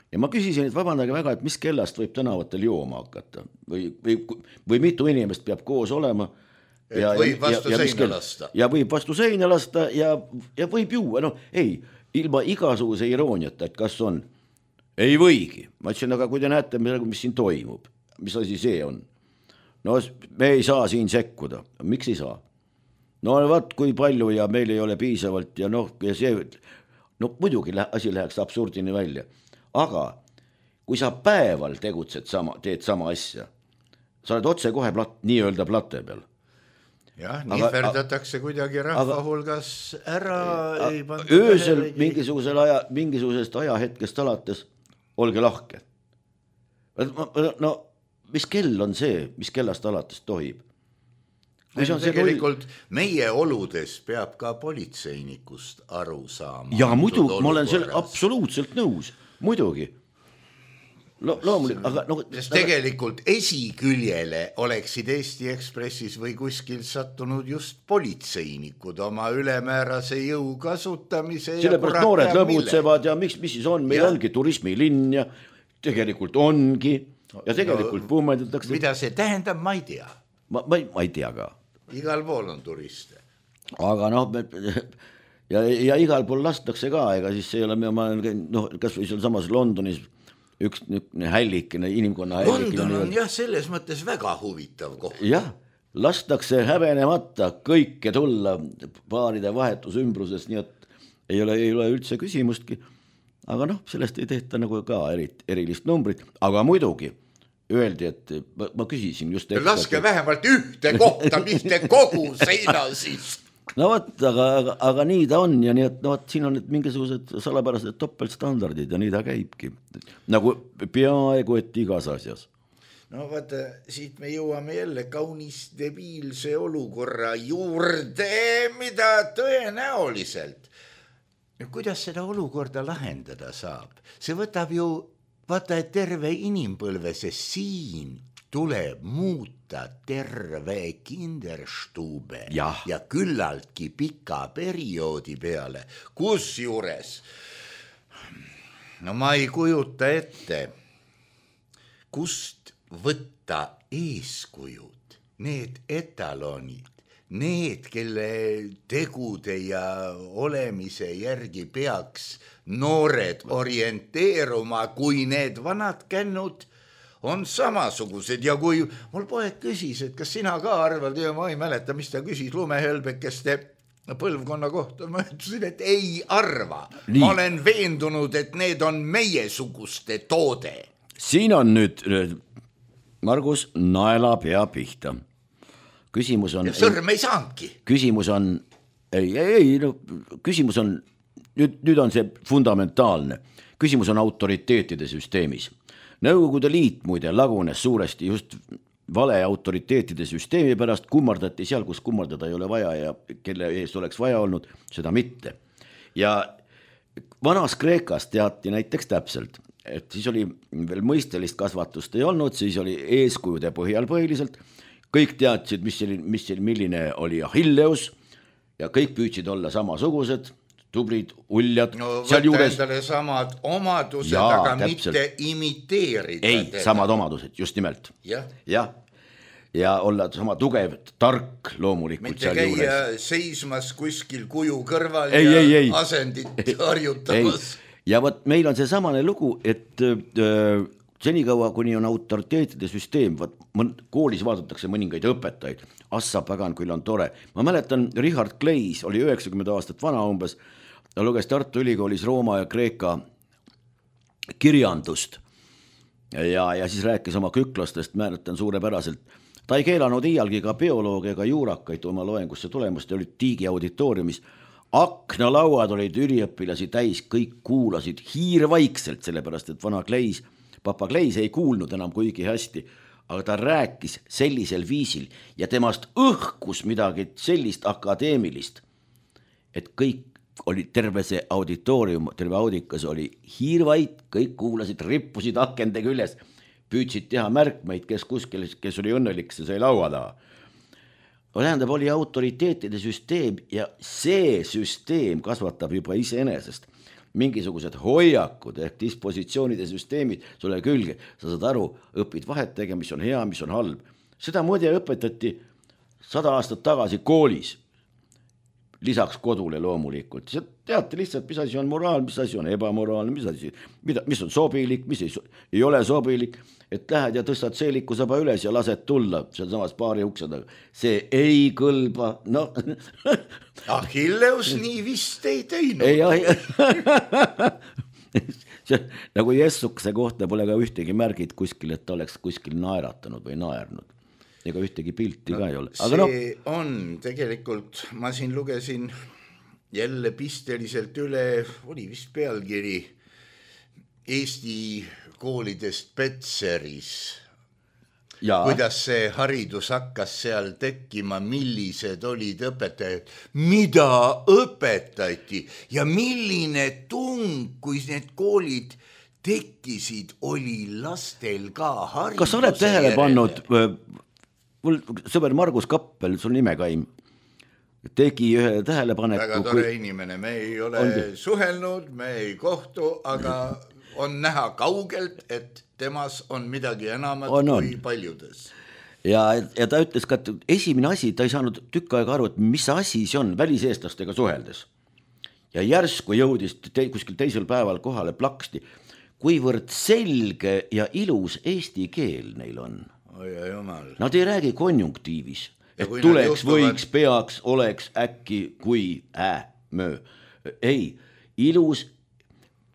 Ja ma küsisin, et vabandage väga, et mis kellast võib tänavatel jooma hakata või, või, või mitu inimest peab koos olema. Ja, võib vastu ja, seina lasta. Ja võib vastu seina lasta ja, ja võib juua. No ei, ilma igasuguse irooniata, et kas on. Ei võigi. Ma ütlesin, aga kui te näete, mis siin toimub, mis asi see on. No me ei saa siin sekkuda. Miks ei saa? No vaat kui palju ja meil ei ole piisavalt ja noh, ja see, no muidugi asi läheks absurdini välja. Aga kui sa päeval tegutsed sama, teed sama asja, sa oled otse kohe plat, nii öelda plate peal. Jah, nii verdatakse kuidagi rahva hulgas ära. Ei öösel mingisugusel aja, mingisugusest ajahetkest alates, olge lahke. No mis kell on see, mis kellast alates tohib? Tegelikult meie oludes peab ka politseinikust aru saama. Ja muidu, ma olen selle absoluutselt nõus. Muidugi. Lo, loomulik, aga, no, sest tegelikult esiküljele oleksid Eesti Ekspressis või kuskil sattunud just politseinikud oma ülemäärase jõu kasutamise. Sellepärast noored lõbutsevad ja miks, mis siis on, meil ja. Ongi turismilinn ja tegelikult ongi ja tegelikult no, puumendatakse. Mida see tähendab, ma ei tea. Ma, ma, ei, ma ei tea ka. Igal pool on turiste. Aga noh, ja, ja igal pool lastakse ka, ega siis ei ole, ma olen noh, kas või seal samas Londonis üks hällikene, inimkonna hällikene. London on jah, selles mõttes väga huvitav koht. Jah, lastakse häbenemata kõike tulla paaride vahetusümbruses, nii et ei ole, ei ole üldse küsimustki, aga noh, sellest ei tehta nagu ka erit, erilist numbrit, aga muidugi öeldi, et ma, ma küsisin just laske et... vähemalt ühte kohta, mitte kogu seina siis. No võt, aga, aga, aga nii ta on ja nii, et no, võt, siin on need mingisugused salapärased topeltstandardid ja nii ta käibki. Nagu peaaegu, et igas asjas. No vaata, siit me jõuame jälle kaunis debiilse olukorra juurde, mida tõenäoliselt. Kuidas seda olukorda lahendada saab? See võtab ju, vaata, et terve inimpõlve, sest siin tuleb muuta terve kinderstube ja, ja küllaltki pika perioodi peale, kus juures, no ma ei kujuta ette, kust võtta eeskujud, need etalonid, need, kelle tegude ja olemise järgi peaks noored orienteeruma, kui need vanad kännud on samasugused ja kui mul poeg küsis, et kas sina ka arvad ja ma ei mäleta, mis ta küsis lumehölbekeste põlvkonna kohta, ma ütlesin, et ei arva. Nii. Ma olen veendunud, et need on meiesuguste toode. Siin on nüüd, Margus, naela pea pihta. Küsimus on... Ja sõrm ei saanudki. Küsimus on, ei, ei, no, küsimus on, nüüd, nüüd on see fundamentaalne. Küsimus on autoriteetide süsteemis. Nõukogude Liit muide lagunes suuresti just vale autoriteetide süsteemi pärast, kummardati seal, kus kummardada ei ole vaja ja kelle eest oleks vaja olnud, seda mitte. Ja vanas Kreekas teati näiteks täpselt, et siis oli veel mõistelist kasvatust ei olnud, siis oli eeskujude põhjal põhiliselt, kõik teadsid, mis, mis, milline oli Achilleus ja kõik püüdsid olla samasugused, tubrid, uljad. No võtta juures... endale samad omadused, ja, aga täpselt. Mitte imiteerida. Ei, teda. Samad omadused, just nimelt. Ja. Ja. Ja olla sama tugev, tark loomulikult mitte seal juures. Mitte käia seismas kuskil kuju kõrval ei, ja ei, ei. asendit harjutamas. Ja võt, meil on see samane lugu, et äh, senikaua, kuni on autoriteetide süsteem, võt, koolis vaadatakse mõningaid õpetajaid, assa pagan, küll on tore. Ma mäletan, Richard Kleis oli üheksakümmend aastat vana umbes, ta luges Tartu Ülikoolis Rooma ja Kreeka kirjandust ja, ja siis rääkis oma küklastest, määratan suurepäraselt. Ta ei keelanud iialgi ka bioloogia ega juurakaid oma loengusse tulemust, olid Tiigi auditooriumis. Aknalauad olid üliõpilasi täis, kõik kuulasid hiirvaikselt, sellepärast et vana Kleis, papa Kleis ei kuulnud enam kuigi hästi, aga ta rääkis sellisel viisil ja temast õhkus midagi sellist akadeemilist, et kõik oli terve see auditoorium, terve audikas oli hiirvait, kõik kuulasid, rippusid akende küljes, püüdsid teha märkmeid, kes kuskil, kes oli õnnelik, see sai laua taha. Tähendab, oli autoriteetide süsteem ja see süsteem kasvatab juba iseenesest mingisugused hoiakud ehk dispositsioonide süsteemid sulle külge. Sa saad aru, õpid vahet tegema, mis on hea, mis on halb. Seda muide õpetati sada aastat tagasi koolis. Lisaks kodule loomulikult. See teate lihtsalt, mis asi on moraal, mis asi on ebamoraal, mis asi, mida, mis on sobilik, mis ei, ei ole sobilik, et lähed ja tõstad seeliku saba üles ja lased tulla seal samas paari ukseda. See ei kõlba, no. Achilleus nii vist ei teinud. Ei, see, nagu Jessukse kohta pole ka ühtegi märgid kuskil, et ta oleks kuskil naeratanud või naernud. Ega ühtegi pilti no, ka ei ole. Aga see no... on tegelikult, ma siin lugesin jälle pisteliselt üle, oli vist pealkiri Eesti koolidest Petseris. Ja. Kuidas see haridus hakkas seal tekkima, millised olid õpetajad, mida õpetati ja milline tung, kui need koolid tekkisid, oli lastel ka hariduse. Kas oled tähele pannud... Mul sõber Margus Kappel, sul nimekaim, tegi ühe tähelepaneku. Väga tore kui... inimene, me ei ole on... suhelnud, me ei kohtu, aga on näha kaugelt, et temas on midagi enamat on, on. kui paljudes. Ja, ja ta ütles ka, et esimene asi, ta ei saanud tükk aega aru, et mis asi see on väliseestlastega suheldes. ja järsku jõudis te, kuskil teisel päeval kohale plaksti, kuivõrd selge ja ilus eesti keel neil on. Oi, jumal. Nad ei räägi konjunktiivis, et tuleks, võiks, peaks, oleks, äkki, kui, ä, möö. Ei, ilus,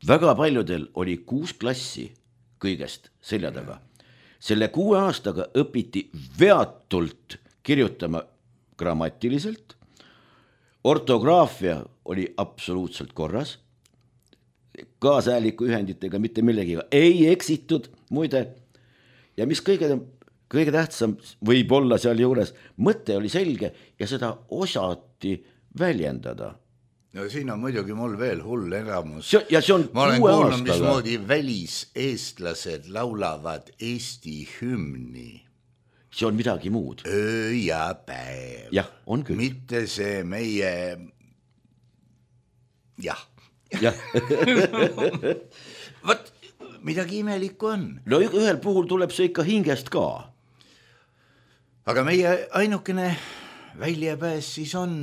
väga paljudel oli kuus klassi kõigest selja taga. Selle kuue aastaga õpiti veatult kirjutama grammatiliselt, ortograafia oli absoluutselt korras, kaasääliku ühenditega mitte millegiga ei eksitud, muide, ja mis kõige, kõige tähtsam võib olla seal juures, mõte oli selge ja seda osati väljendada. No siin on muidugi mul veel hull elamus. Ja see on ma olen kuue kuulnud, aastaga. mismoodi väliseestlased laulavad Eesti hümni. See on midagi muud. Öö ja päev. Jah, on küll. Mitte see meie... Jah. Ja. Võt, midagi imelikku on. No ühel puhul tuleb see ikka hingest ka. Aga meie ainukene väljapääs siis on...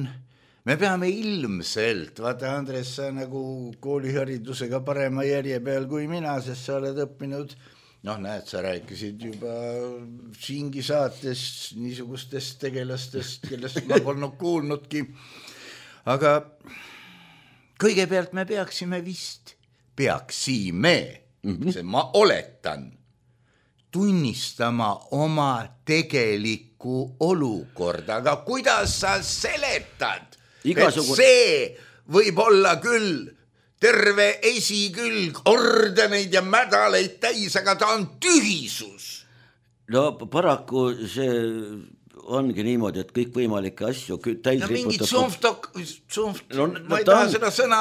Me peame ilmselt, vaata Andres, sa nagu kooliharidusega parema järje peal kui mina, sest sa oled õppinud, noh näed, sa rääkisid juba siingi saates niisugustest tegelastest, kellest ma polnud kuulnudki, aga kõigepealt me peaksime vist, peaksime, mm-hmm. see ma oletan, tunnistama oma tegelikku olukorda, aga kuidas sa seletad? Igasugu... Et see võib olla küll terve esikülg ordeneid ja mädaleid täis, aga ta on tühisus. No paraku see ongi niimoodi, et kõik võimalikke asju täis no mingid riputab... sumftok, sumft... no, no, ma ei taha on... seda sõna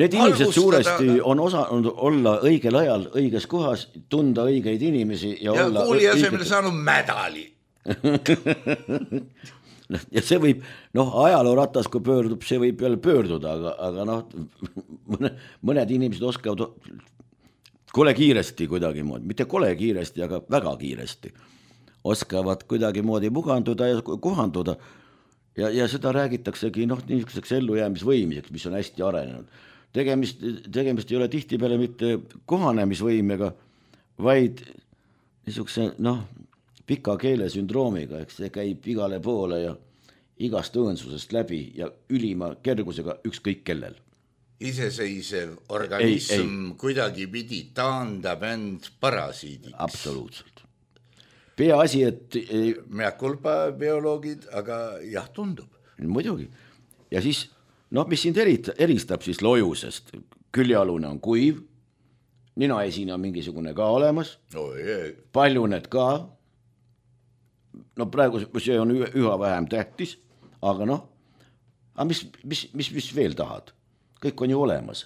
Need inimesed suuresti on osanud olla õigel ajal õiges kohas, tunda õigeid inimesi ja, ja olla... kuuli asemel saanud mädali. Ja see võib, noh, ajalooratas, kui pöördub, see võib jälle pöörduda, aga, aga noh, mõne, mõned inimesed oskavad kole kiiresti kuidagi moodi, mitte kole kiiresti, aga väga kiiresti, oskavad kuidagi moodi muganduda ja kohanduda ja, ja seda räägitaksegi, noh, niisuguseks ellujäämisvõimiseks, mis on hästi arenenud. Tegemist, tegemist ei ole tihtipeale mitte kohanemisvõimega, vaid niisuguse, noh, pika keele sündroomiga, eks see käib igale poole ja igast õõnsusest läbi ja ülima kergusega ükskõik kellel. Iseseisev organism ei, ei. kuidagi pidi taandab end parasiidiks. Absoluutselt. Peaasi, et... Mea culpa bioloogid, aga jah, tundub. Muidugi. Ja siis, noh, mis sind eristab siis lojusest? Küljalune on kuiv, ninaesine on mingisugune ka olemas, no, paljuned ka, no praegu see on üha vähem tähtis, aga noh, aga mis, mis, mis, mis veel tahad? Kõik on ju olemas.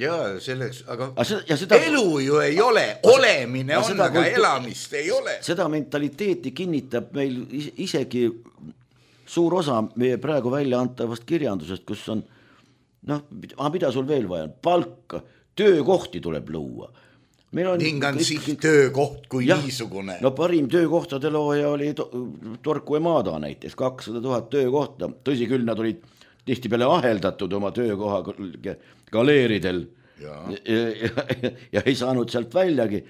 Jaa, selleks, aga, aga seda, ja seda, elu ju ei ole, olemine on, seda, aga elamist ei ole. Seda mentaliteeti kinnitab meil isegi suur osa meie praegu välja antavast kirjandusest, kus on, noh, mida sul veel vaja on? Palka, töökohti tuleb luua. Ning on kõik, siit töökoht kui jah, niisugune. No parim töökohtade looja oli to, Torku Emada näiteks, kakssada tuhat töökohta. Tõsi küll, nad olid tihti peale aheldatud oma töökoha galeeridel ja. Ja, ja, ja ei saanud sealt väljagi,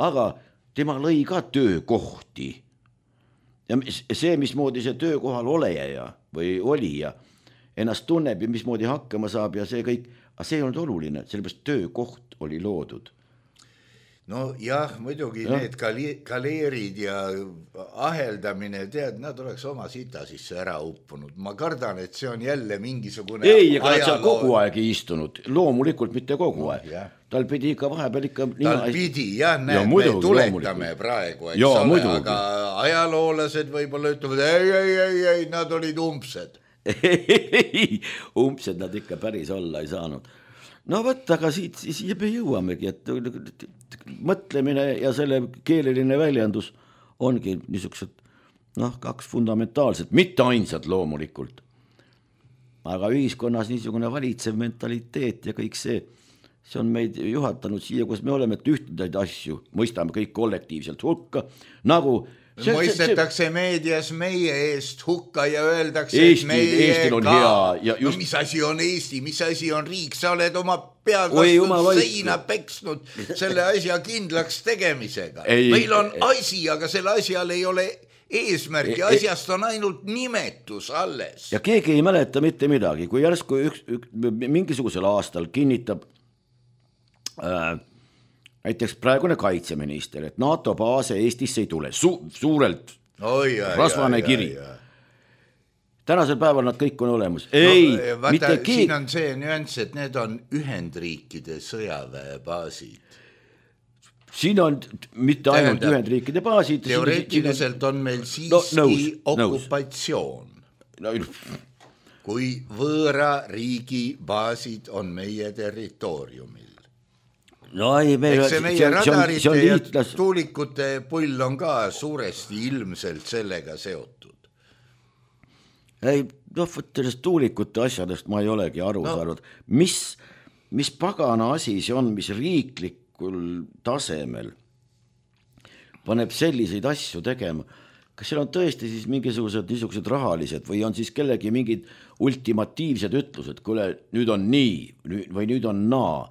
aga tema lõi ka töökohti. Ja see, mismoodi see töökohal oleja või olija ennast tunneb ja mismoodi hakkama saab ja see kõik, aga see ei olnud oluline, sellepärast töökoht oli loodud. No jah, muidugi ja. Need galeerid ja aheldamine, tead, nad oleks oma sita sisse ära uppunud. Ma kardan, et see on jälle mingisugune ei, aga ajaloo... seal kogu aeg ei istunud, loomulikult mitte kogu aeg. No, tal pidi ikka vahepeal ikka... Tal nina... pidi, jah, näed, ja, muidugi, me tuletame praegu, eks ja, ole, muidugi. Aga ajaloolased võib-olla ütlevad, ei, ei, ei, ei, nad olid umbsed. Umbsed nad ikka päris olla ei saanud. No võt, aga siit siia me jõuamegi, et mõtlemine ja selle keeleline väljendus ongi niisugused, noh, kaks fundamentaalset, mitte ainsad loomulikult. Aga ühiskonnas niisugune valitsev mentaliteet ja kõik see, see on meid juhatanud siia, kus me oleme, et ühtedaid asju mõistame kõik kollektiivselt hukka, nagu mõistetakse meedias meie eest hukka ja öeldakse, Eesti, et meie Eestil on ka. hea. Ja just... no, mis asi on Eesti, mis asi on riik, sa oled oma pead vastu seina peksnud selle asja kindlaks tegemisega. Ei, meil on asi, aga selle asjal ei ole eesmärgi, asjast on ainult nimetus alles. Ja keegi ei mäleta mitte midagi, kui järsku üks, üks, mingisugusel aastal kinnitab äh, näiteks praegune kaitseminister, et NATO baase Eestisse ei tule, Su suurelt Oi, jah, rasvane jah, kiri. Jah, jah. Tänasel päeval nad kõik on olemas. Ei, no, vaata, mitte keegi... Siin on see nüanss, et need on Ühendriikide sõjaväebaasid. Siin on mitte ainult Tähendab, Ühendriikide baasid. Teoreetiliselt on meil siiski no, nõus, okupatsioon. Nõus. Kui võõra riigi baasid on meie territooriumil. No ei, meil, eks see meie radarite ja tuulikute pull on ka suuresti ilmselt sellega seotud. Ei, noh, sellest tuulikute asjadest ma ei olegi aru no. saanud. Mis, mis pagana asi see on, mis riiklikul tasemel paneb selliseid asju tegema? Kas seal on tõesti siis mingisugused niisugused rahalised või on siis kellegi mingid ultimatiivsed ütlused, kuule, nüüd on nii või nüüd on naa?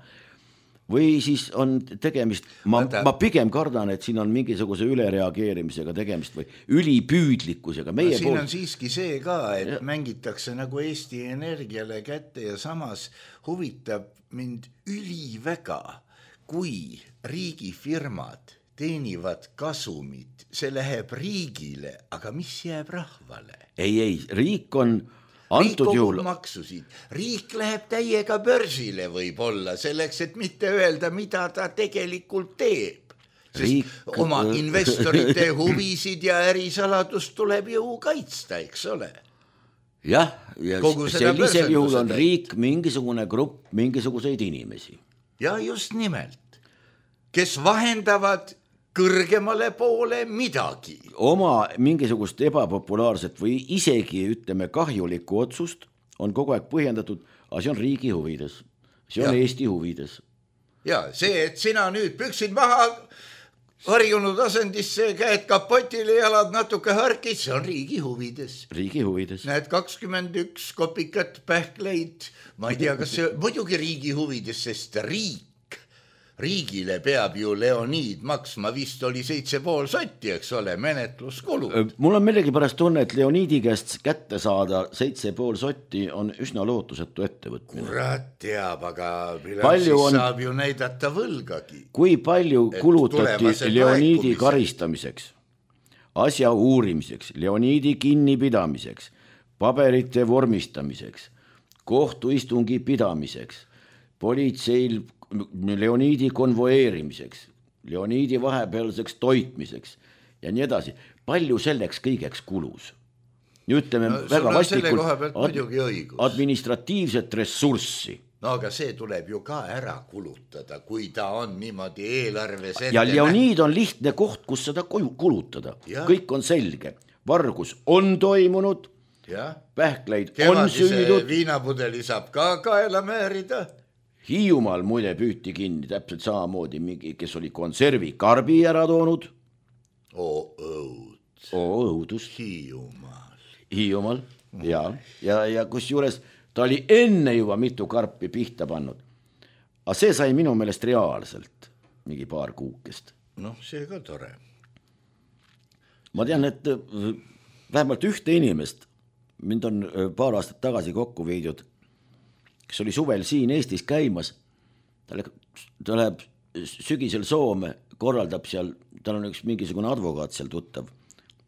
Või siis on tegemist, ma, ma pigem kardan, et siin on mingisuguse ülereageerimisega tegemist või ülipüüdlikkusega. Meie no, siin pool... on siiski see ka, et ja. mängitakse nagu Eesti Energiale kätte ja samas huvitab mind üliväga, kui riigifirmad teenivad kasumit, see läheb riigile, aga mis jääb rahvale? Ei, ei, riik on... Riik kogub maksusid, riik läheb täiega börsile võib-olla selleks, et mitte öelda, mida ta tegelikult teeb. Sest riik... oma investorite huvisid ja ärisaladust tuleb ju kaitsta, eks ole. Jah, ja sellisel juhul on riik mingisugune grupp mingisuguseid inimesi. Ja just nimelt, kes vahendavad kõrgemale poole midagi. Oma mingisugust ebapopulaarset või isegi, ütleme, kahjulikku otsust on kogu aeg põhjendatud, aga see on riigi huvides, see on ja. Eesti huvides. Ja see, et sina nüüd püksid maha harjunud asendisse, käed kapotile, jalad natuke harkis, see on riigi huvides. Riigi huvides. Näed kakskümmend üks kopikat pähkleid, ma ei tea, kas see muidugi riigi huvides, sest riik riigile peab ju Leoniid maksma, vist oli seitse pool sotti, eks ole, menetluskulu. Mul on millegi pärast tunne, et Leoniidi käest kätte saada seitse pool sotti on üsna lootusetu ettevõtmine. Kurat teab, aga siis on... saab ju näidata võlgagi. Kui palju kulutati Leoniidi karistamiseks, asja uurimiseks, Leoniidi kinnipidamiseks, paberite vormistamiseks, kohtuistungi pidamiseks, politseil Leoniidi konvoeerimiseks, Leoniidi vahepealseks toitmiseks ja nii edasi. Palju selleks kõigeks kulus? Ütleme no, väga vastikult ad- administratiivset ressurssi. No aga see tuleb ju ka ära kulutada, kui ta on niimoodi eelarves ette. Ja Leoniid on lihtne koht, kus seda kulutada. Ja. Kõik on selge. Vargus on toimunud, ja. Pähkleid on süüdud. Viinapudeli saab ka kaela määrida. Hiiumaal muide püüti kinni täpselt samamoodi mingi, kes oli konservi karbi ära toonud. Oo õud. Oo õudus. Hiiumaal. Hiiumaal, mm. ja, ja, ja kus juures ta oli enne juba mitu karpi pihta pannud. Aga see sai minu meelest reaalselt mingi paar kuukest. Noh, see ka tore. Ma tean, et vähemalt ühte inimest, mind on paar aastat tagasi kokku viidud, kes oli suvel siin Eestis käimas, ta läheb sügisel Soome, korraldab seal, tal on üks mingisugune advokaat seal tuttav,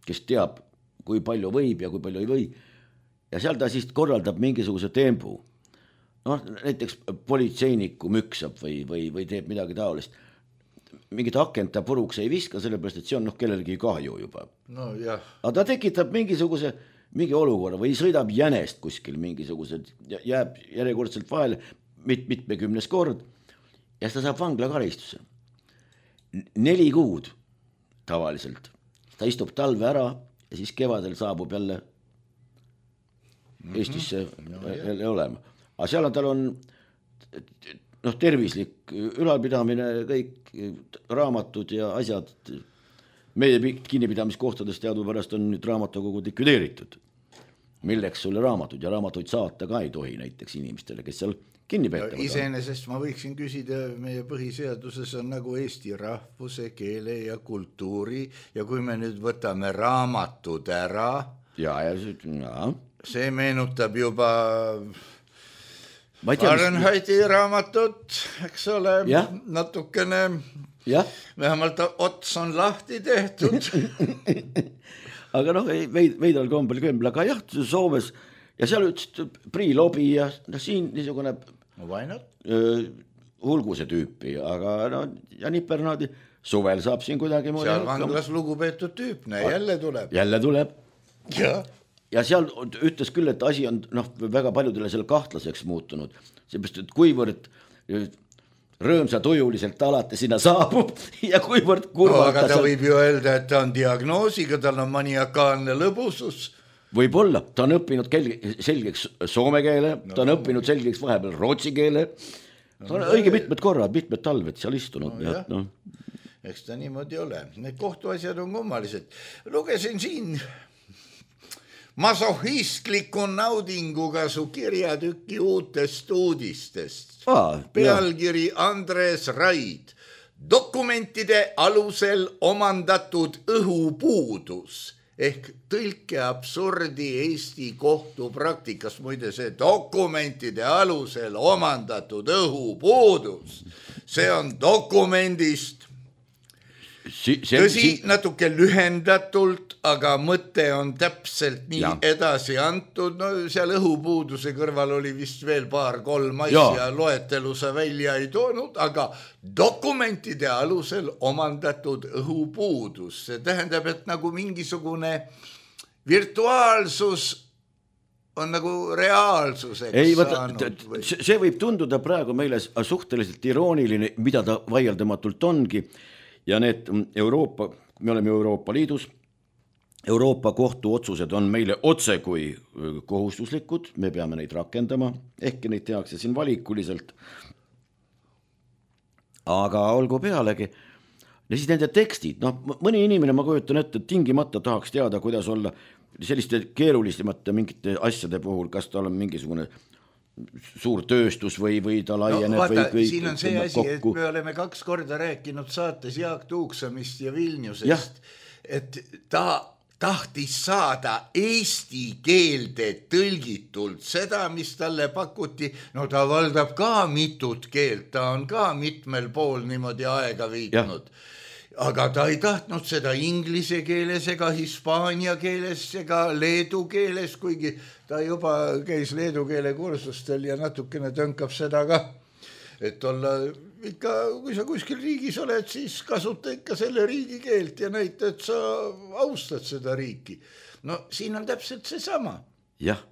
kes teab, kui palju võib ja kui palju ei või. Ja seal ta siis korraldab mingisuguse tempu. Noh, näiteks politseinikku müksab või, või, või teeb midagi taolist. Mingit akent ta puruks ei viska, sellepärast, et see on noh, kellelgi kahju juba. No jah. Aga ta tekitab mingisuguse mingi olukorra või sõidab jänest kuskil mingisugused, jääb järjekordselt vahele mit, mitmekümnes kord ja siis ta saab vanglakaristuse. Neli kuud tavaliselt. Ta istub talve ära ja siis kevadel saabub jälle Eestisse mm-hmm. jälle olema. Aga seal on, tal on noh, tervislik ülalpidamine, kõik raamatud ja asjad meie kinnipidamiskohtades teadupärast on nüüd raamatukogud likvideeritud. Milleks sulle raamatud ja raamatuid saata ka ei tohi näiteks inimestele, kes seal kinni peetavad. Iseenesest ma võiksin küsida, meie põhiseaduses on nagu Eesti rahvuse, keele ja kultuuri ja kui me nüüd võtame raamatud ära, ja, ja, ja. see meenutab juba Fahrenheiti mis... raamatut, eks ole, ja. natukene, ja. vähemalt ots on lahti tehtud. Aga noh, veid, veidral kombel kõmbel, aga jah, Soomes ja seal ütles Priilobi ja no, siin niisugune öö, hulguse tüüpi, aga no, ja Nipernaadi suvel saab siin kuidagi seal vanglas lugupeetud tüüpne, jälle tuleb. Jälle tuleb. Ja. ja seal ütles küll, et asi on noh, väga paljudele selle kahtlaseks muutunud, seepärast, et kuivõrd rõõmsa tujuliselt alati sinna saabub ja kuivõrd kurvalt no, aga ta seal... võib ju öelda, et ta on diagnoosiga, tal on maniakaalne lõbusus. Võib-olla, ta on õppinud kel... selgeks soome keele, no, ta on õppinud selgeks vahepeal rootsi keele, ta on no, õige mitmed korrad, mitmed talved seal istunud. No, ja, no. Eks ta niimoodi ole, need kohtuasjad on kummalised. Lugesin siin masohistliku naudinguga su kirjatükki uutest uudistest. Ah, pealkiri Andres Raid. Dokumentide alusel omandatud õhupuudus ehk tõlke absurdi Eesti kohtupraktikas. Muide, see dokumentide alusel omandatud õhupuudus, see on dokumendist Si, see, tõsi, si... natuke lühendatult, aga mõte on täpselt nii ja. edasi antud. No seal õhupuuduse kõrval oli vist veel paar kolm asja, loetelu sa välja ei toonud, aga dokumentide alusel omandatud õhupuudus. See tähendab, et nagu mingisugune virtuaalsus on nagu reaalsuseks ei, võtta, saanud. Või... See võib tunduda praegu meile suhteliselt irooniline, mida ta vaieldamatult ongi. Ja need Euroopa, me oleme Euroopa Liidus, Euroopa kohtu otsused on meile otse kui kohustuslikud, me peame neid rakendama, ehkki neid tehakse siin valikuliselt. Aga olgu pealegi, ja siis nende tekstid, noh, mõni inimene, ma kujutan ette, et tingimata tahaks teada, kuidas olla selliste keerulisemate mingite asjade puhul, kas tal on mingisugune suur tööstus või, või ta laieneb no, vaata, või kõik. Siin on see asi, kokku. Et me oleme kaks korda rääkinud saates Jaak Tuuksamist ja Vilniusest, ja. et ta tahtis saada eesti keelde tõlgitult seda, mis talle pakuti. No ta valdab ka mitut keelt, ta on ka mitmel pool niimoodi aega viitnud. Ja. Aga ta ei tahtnud seda inglise keeles ega hispaania keeles ega leedu keeles, kuigi ta juba käis leedu keele kursustel ja natukene tõnkab seda ka, et olla ikka, kui sa kuskil riigis oled, siis kasuta ikka selle riigi keelt ja näita, et sa austad seda riiki. No siin on täpselt see sama. Jah,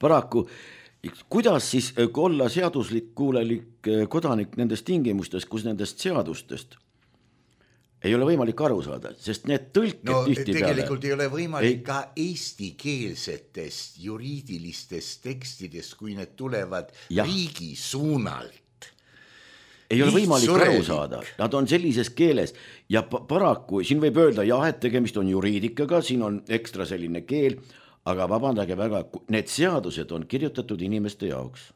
paraku, kuidas siis olla seaduslik kuulelik kodanik nendest tingimustes, kus nendest seadustest ei ole võimalik aru saada, sest need tõlked no, tihti peale. Tegelikult ei ole võimalik ei... ka eestikeelsetest juriidilistest tekstidest, kui need tulevad ja. riigi suunalt. Ei ole võimalik surelik. Aru saada, nad on sellises keeles ja paraku, siin võib öelda jah, et tegemist on juriidikaga, siin on ekstra selline keel, aga vabandage väga, need seadused on kirjutatud inimeste jaoks.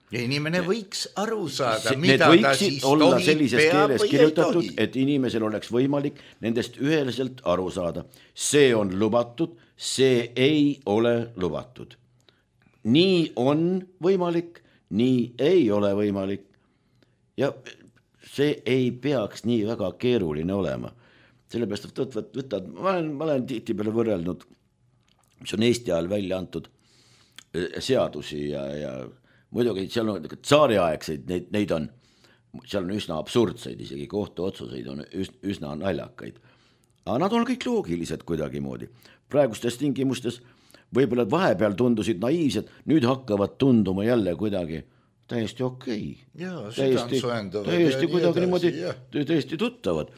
Ja inimene võiks aru saada, see, mida ta siis olla sellises keeles kirjutatud, et inimesel oleks võimalik nendest üheselt aru saada. See on lubatud, see ei ole lubatud. Nii on võimalik, nii ei ole võimalik. Ja see ei peaks nii väga keeruline olema. Sellepärast, et võtad, võtad, ma olen, ma olen tihti peale võrrelnud, mis on Eesti ajal välja antud seadusi ja, ja muidugi seal on tsaariaegseid, neid, neid on, seal on üsna absurdseid, isegi kohtuotsuseid on üsna naljakaid. Aga nad on kõik loogilised kuidagi moodi. Praegustes tingimustes võib-olla vahepeal tundusid naiivsed, nüüd hakkavad tunduma jälle kuidagi täiesti okei. Jaa, täiesti, täiesti kuidagi niimoodi, täiesti tuttavad.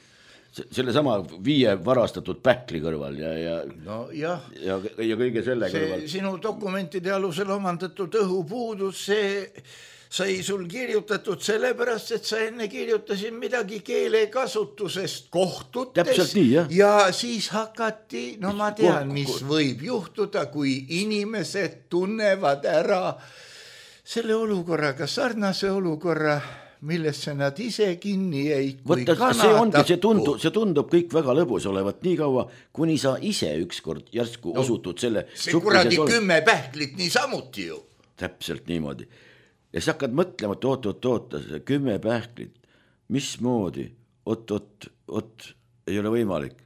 Selle sama viie varastatud päkli kõrval ja, ja, no, ja. ja, ja kõige selle see kõrval. Sinu dokumentide alusel omandatud õhupuudus, see, sai sul kirjutatud sellepärast, et sa enne kirjutasid midagi keelekasutusest kohtutes nii, ja siis hakati, no ma tean, mis võib juhtuda, kui inimesed tunnevad ära selle olukorraga sarnase olukorra, millesse nad ise kinni jäid. Võtta, see, ongi, see, tundub, see tundub kõik väga lõbus olevat nii kaua, kuni sa ise ükskord järsku no, osutud selle see kuradi ole... kümme pähklit nii samuti ju. Täpselt niimoodi. Ja sa hakkad mõtlema, et oot, oot, oot, see kümme pähklit, mismoodi, oot, oot, oot, ei ole võimalik.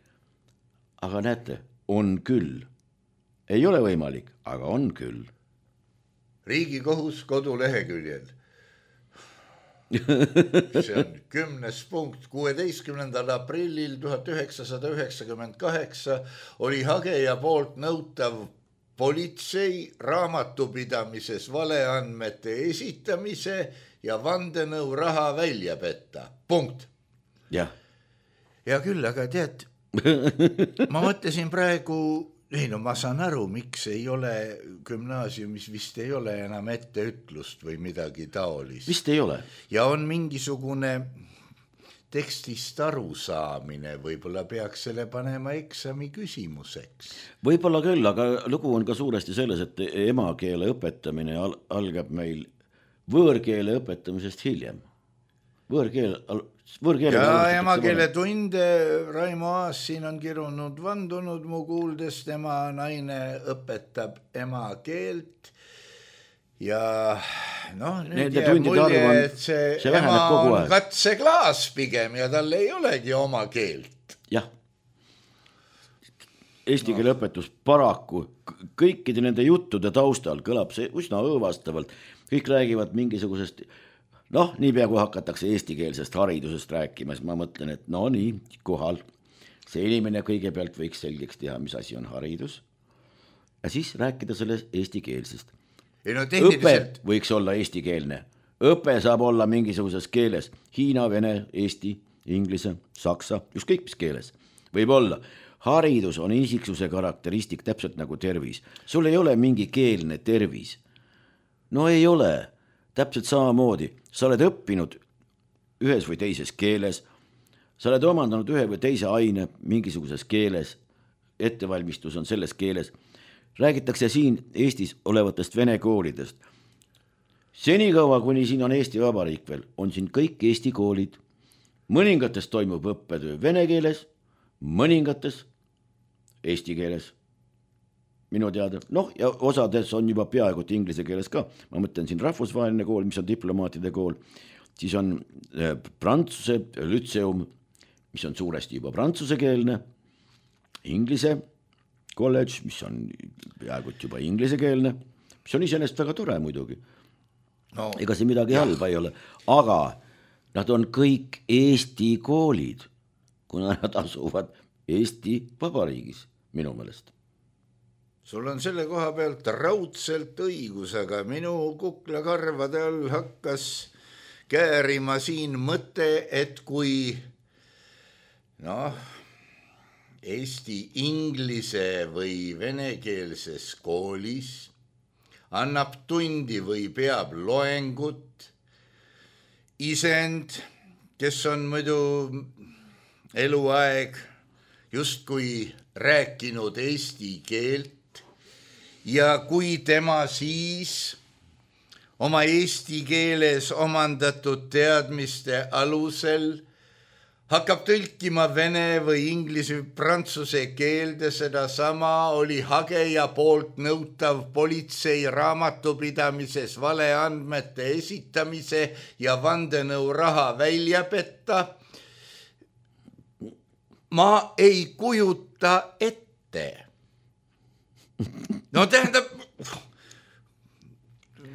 Aga näete, on küll. Ei ole võimalik, aga on küll. Riigikohus koduleheküljel. See on kümnes punkt. kuueteistkümnendal aprillil tuhat üheksasada üheksakümmend kaheksa oli hageja poolt nõutav politsei raamatupidamises valeandmete esitamise ja vandenõu raha välja petta. Punkt. Ja, ja küll, aga tead, ma mõtlesin praegu, ei no ma saan aru, miks ei ole gümnaasiumis, vist ei ole enam etteütlust või midagi taolist. Vist ei ole. Ja on mingisugune tekstist arusaamine, võib-olla peaks selle panema eksami küsimuseks. Võib-olla küll, aga lugu on ka suuresti selles, et emakeele õpetamine al- algab meil võõrkeele õpetamisest hiljem. Võõrkeel... Võõrkeele ja emakeele tunde Raimo Aas siin on kirunud vandunud mu kuuldes, tema naine õpetab emakeelt ja noh, nüüd jääb mulje, et see, see ema on katseklaas pigem ja tal ei olegi oma keelt. Jah, eesti keele no. õpetus paraku kõikide nende juttude taustal kõlab see üsna õõvastavalt, kõik räägivad mingisugusest noh, niipea kui hakatakse eestikeelsest haridusest rääkima, siis ma mõtlen, et no nii, kohal see inimene kõigepealt võiks selgeks teha, mis asi on haridus ja siis rääkida sellest eestikeelsest. No, tehniliselt... Õpe võiks olla eestikeelne. Õpe saab olla mingisuguses keeles. Hiina, vene, eesti, inglise, saksa, ükskõik mis keeles. Võib olla. Haridus on isiksuse karakteristik täpselt nagu tervis. Sul ei ole mingi keelne tervis. No ei ole. Täpselt samamoodi. Sa oled õppinud ühes või teises keeles, sa oled omandanud ühe või teise aine mingisuguses keeles, ettevalmistus on selles keeles. Räägitakse siin Eestis olevatest vene koolidest. Senikaua, kuni siin on Eesti Vabariik veel, on siin kõik Eesti koolid. Mõningates toimub õppetöö vene keeles, mõningates eesti keeles. Minu teada, noh ja osades on juba peaaegu inglise keeles ka, ma mõtlen siin rahvusvaheline kool, mis on diplomaatide kool, siis on Prantsuse lütseum, mis on suuresti juba prantsusekeelne, inglise kolledž, mis on peaaegu juba inglisekeelne, mis on iseenesest väga tore muidugi. No, ega see midagi jah. halba ei ole, aga nad on kõik Eesti koolid, kuna nad asuvad Eesti Vabariigis, minu meelest. Sul on selle koha pealt raudselt õigus, aga minu kuklakarvade all hakkas käärima siin mõte, et kui noh, Eesti inglise või venekeelses koolis annab tundi või peab loengut isend, kes on muidu eluaeg justkui rääkinud eesti keelt, ja kui tema siis oma eesti keeles omandatud teadmiste alusel hakkab tõlkima vene või inglise või prantsuse keelde, seda sama oli hageja poolt nõutav politsei raamatupidamises valeandmete esitamise ja vandenõu raha välja petta. Ma ei kujuta ette. No tähendab,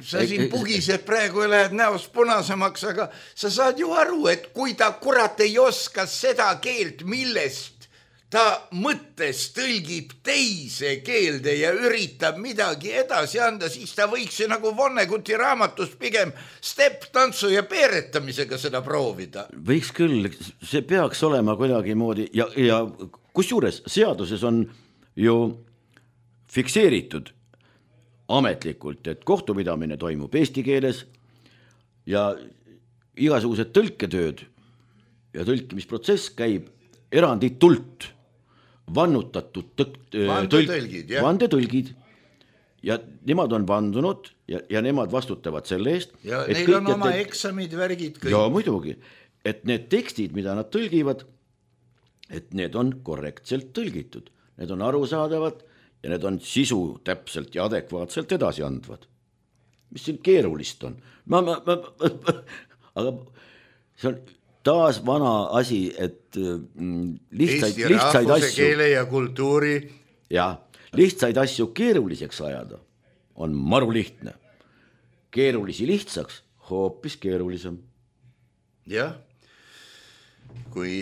sa siin pugised praegu ja lähed näost punasemaks, aga sa saad ju aru, et kui ta kurat ei oska seda keelt, millest ta mõttes tõlgib teise keelde ja üritab midagi edasi anda, siis ta võiks ju nagu Vonneguti raamatus pigem step-tantsu ja peeretamisega seda proovida. Võiks küll, see peaks olema kuidagi moodi ja, ja kusjuures seaduses on ju fikseeritud ametlikult, et kohtupidamine toimub eesti keeles, ja igasugused tõlketööd ja tõlkimisprotsess käib eranditult vannutatud vandetõlgid, tõlk, vandetõlgid ja nemad on vandunud ja, ja nemad vastutavad selle eest. Ja neil on oma te... eksamid, värgid kõik. Ja muidugi, et need tekstid, mida nad tõlgivad, et need on korrektselt tõlgitud, need on arusaadavad ja need on sisu täpselt ja adekvaatselt edasi andvad. Mis siin keerulist on? Ma, ma, ma, ma, aga see on taas vana asi, et lihtsaid, Eesti lihtsaid rahvuse, asju, keele ja kultuuri ja, lihtsaid asju keeruliseks ajada on maru lihtne. Keerulisi lihtsaks hoopis keerulisem. Jah, kui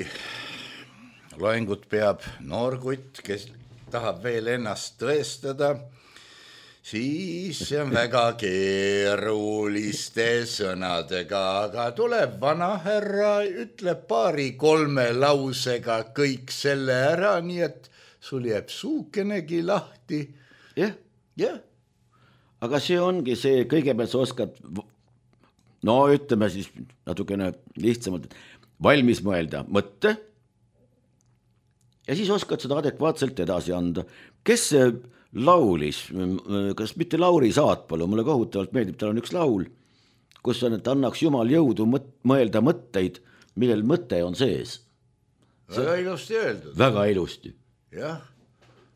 loengut peab noorkutt, kes tahab veel ennast tõestada, siis see on väga keeruliste sõnadega, aga tuleb vana härra, ütleb paari kolme lausega kõik selle ära, nii et sul jääb suukenegi lahti. Jah, jah. Aga see ongi see, kõigepealt sa oskad, no ütleme siis natukene lihtsamalt, valmis mõelda mõtte ja siis oskad seda adekvaatselt edasi anda. Kes see laulis, kas mitte Lauri Saatpalu, mulle kohutavalt meeldib, tal on üks laul, kus on, et annaks Jumal jõudu mõelda mõtteid, millel mõte on sees. Väga ilusti öeldud. Väga ilusti. Jah,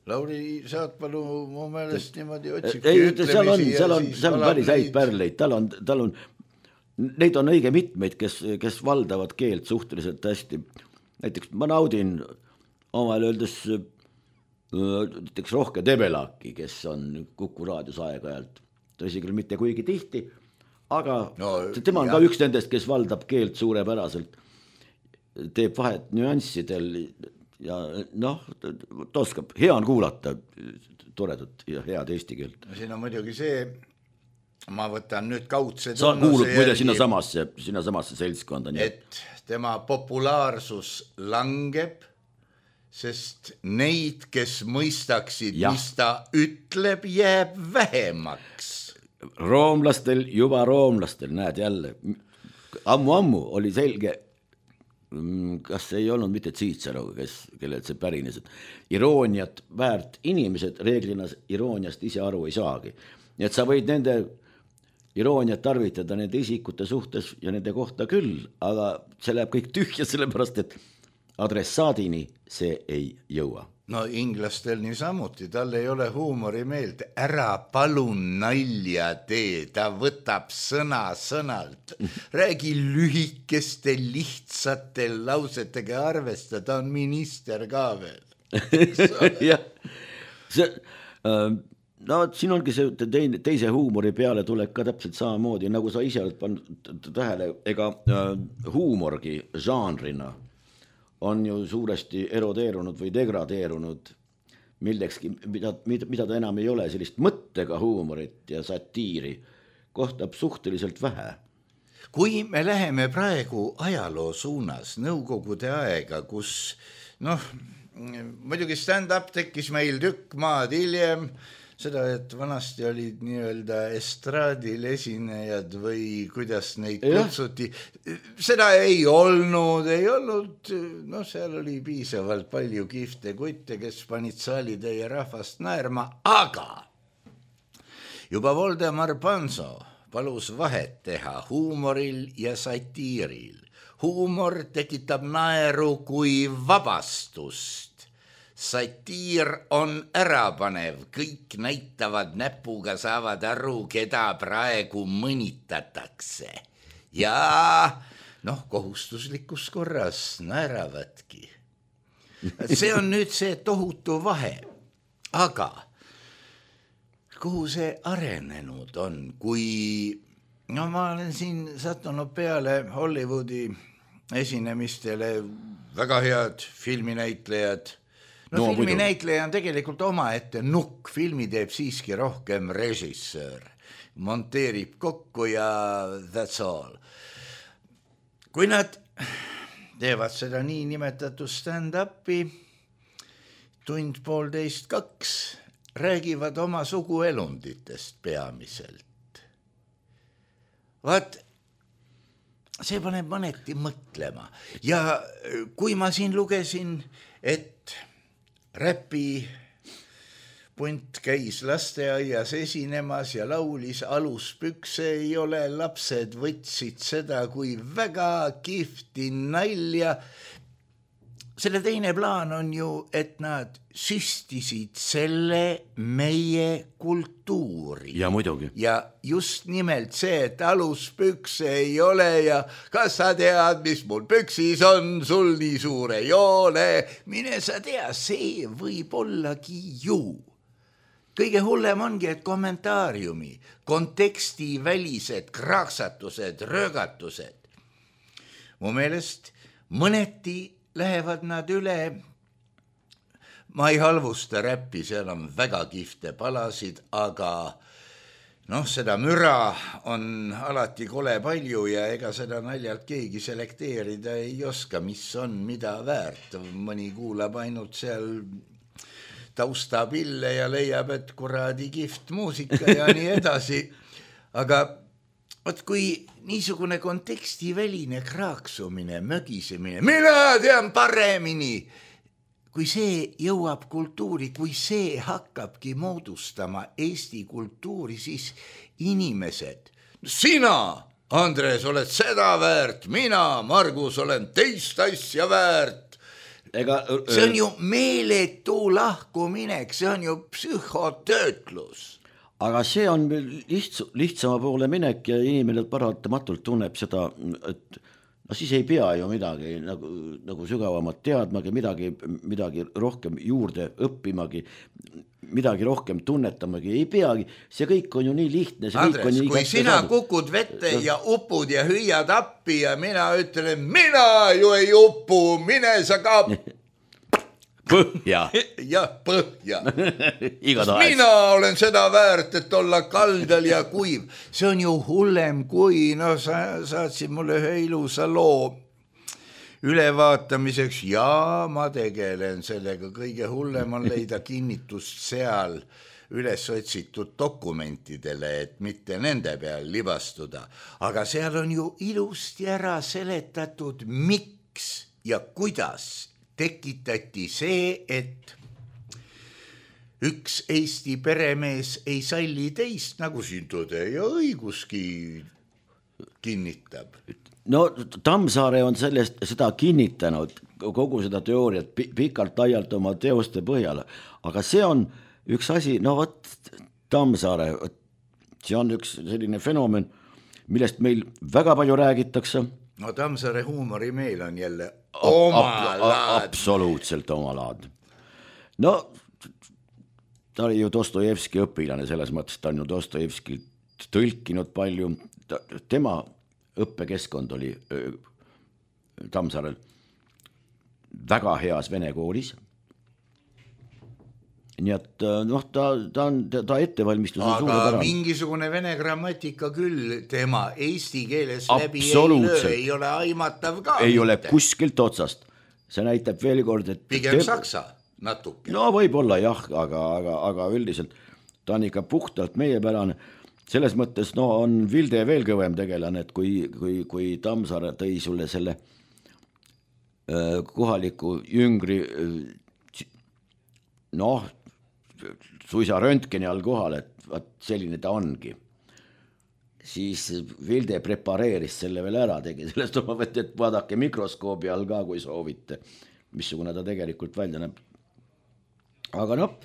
Lauri Saatpalu mu meelest niimoodi otsib. Ei, seal on, seal on, seal on päris häid pärleid, tal on, tal on, neid on õige mitmeid, kes, kes valdavad keelt suhteliselt hästi. Näiteks ma naudin omal öeldes näiteks Rohke Debelaki, kes on Kuku raadios aeg-ajalt, tõsi küll mitte kuigi tihti, aga no, tema on jah. Ka üks nendest, kes valdab keelt suurepäraselt, teeb vahet nüanssidel ja noh, ta oskab, hea on kuulata toredat ja head eesti keelt. Siin on muidugi see, ma võtan nüüd kaudse sa kuulud muide sinna samasse, sinna samasse seltskonda. Et tema populaarsus langeb, sest neid, kes mõistaksid, ja. Mis ta ütleb, jääb vähemaks. Roomlastel, juba roomlastel, näed jälle, ammu-ammu oli selge, kas ei olnud mitte Cicero, kes, kellelt see pärines, et irooniat väärt inimesed reeglina irooniast ise aru ei saagi. Nii et sa võid nende irooniat tarvitada nende isikute suhtes ja nende kohta küll, aga see läheb kõik tühja, sellepärast, et adressaadini see ei jõua. No inglastel nii samuti, tal ei ole huumorimeelt, ära palun nalja tee, ta võtab sõna sõnalt, räägi lühikeste lihtsate lausetega arvesta, ta on minister ka veel. Jah, see, no siin ongi see teine, teise huumori peale tuleb ka täpselt samamoodi, nagu sa ise oled pannud tähele, ega huumorgi žanrina on ju suuresti erodeerunud või degradeerunud millekski, mida, mida, mida ta enam ei ole, sellist mõttega huumorit ja satiiri kohtab suhteliselt vähe. Kui me läheme praegu ajaloo suunas Nõukogude aega, kus noh, muidugi stand-up tekkis meil tükk maad hiljem, seda, et vanasti olid nii-öelda estraadil esinejad või kuidas neid kutsuti. Seda ei olnud, ei olnud, no seal oli piisavalt palju kihvte kutte, kes panid saalitäie rahvast naerma, aga juba Voldemar Panso palus vahet teha huumoril ja satiiril. Huumor tekitab naeru kui vabastust. Satiir on ärapanev, kõik näitavad näpuga, saavad aru, keda praegu mõnitatakse. Ja noh, kohustuslikus korras naeravadki. See on nüüd see tohutu vahe. Aga kuhu see arenenud on, kui no ma olen siin sattunud peale Hollywoodi esinemistele, väga head filminäitlejad. No, no filminäitleja on tegelikult omaette nukk, filmi teeb siiski rohkem režissöör, monteerib kokku ja that's all. Kui nad teevad seda nii nimetatud stand-upi, tund poolteist kaks, räägivad oma suguelunditest peamiselt. Vaat see paneb mõneti mõtlema ja kui ma siin lugesin, et räpi punt käis lasteaias esinemas ja laulis aluspükse ei ole, lapsed võtsid seda kui väga kihvti nalja. Selle teine plaan on ju, et nad süstisid selle meie kultuuri. Ja muidugi. Ja just nimelt see, et aluspükse ei ole ja kas sa tead, mis mul püksis on, sul nii suur ei ole. Mine sa tea, see võib ollagi ju. Kõige hullem ongi, et kommentaariumi, konteksti välised kraaksatused, röögatused. Mu meelest mõneti lähevad nad üle, ma ei halvusta räppi, seal on väga kihvte palasid, aga noh, seda müra on alati kole palju ja ega seda naljalt keegi selekteerida ei oska, mis on mida väärt. Mõni kuulab ainult seal taustapille ja leiab, et kuradi kihvt muusika ja nii edasi. Aga Ot kui niisugune kontekstiväline kraaksumine, mögisemine, mina tean paremini, kui see jõuab kultuuri, kui see hakkabki moodustama Eesti kultuuri, siis inimesed, sina, Andres, oled seda väärt, mina, Margus, olen teist asja väärt. Ega, see on ju meeletu lahkuminek, see on ju psühhotöötlus. Aga see on lihts, lihtsama poole minek ja inimene paratamatult tunneb seda, et no siis ei pea ju midagi nagu, nagu sügavamat teadmagi, midagi, midagi rohkem juurde õppimagi, midagi rohkem tunnetamagi ei peagi. See kõik on ju nii lihtne. See Andres, kõik on nii kui sina saadud. Kukud vette ja upud ja hüüad appi ja mina ütlen, mina ju ei upu, mine sa ka... Põhja. Jah, põhja. Igatahes. Mina olen seda väärt, et olla kaldal ja kuiv. See on ju hullem kui, no sa saatsid mulle ühe ilusa loo ülevaatamiseks ja ma tegelen sellega. Kõige hullem on leida kinnitust seal üles otsitud dokumentidele, et mitte nende peal libastuda. Aga seal on ju ilusti ära seletatud, miks ja kuidas tekitati see, et üks Eesti peremees ei salli teist, nagu siin tõde ja õiguski kinnitab. No Tammsaare on sellest, seda kinnitanud, kogu seda teooriat pikalt laialt oma teoste põhjal, aga see on üks asi, no võt Tammsaare, see on üks selline fenomen, millest meil väga palju räägitakse. No Tammsaare huumori meil on jälle oma laad. Absoluutselt oma laad. No, ta oli ju Dostojevski õpilane, selles mõttes ta on ju Dostojevski tõlkinud palju. Tema õppekeskkond oli Tammsaarel väga heas vene koolis. Nii et noh, ta, ta, on, ta ettevalmistus on aga suure mingisugune vene grammatika küll tema eesti keeles läbi ei löö, ei ole aimatav ka. Ei mitte. Ole kuskilt otsast. See näitab veel kord, et... Pigem te... saksa natuke. No võib-olla jah, aga, aga, aga üldiselt ta on ikka puhtalt meiepärane. Selles mõttes no, on Vilde veel kõvem tegelane, et kui, kui, kui Tammsaare tõi sulle selle äh, kohaliku jüngri äh, noh, suisa röntgeni all kohal, et vaat selline ta ongi. Siis Vilde prepareeris selle veel ära, tegi sellest oma võtt, et vaadake mikroskoobi all ka, kui soovite, missugune ta tegelikult välja näeb. Aga noh,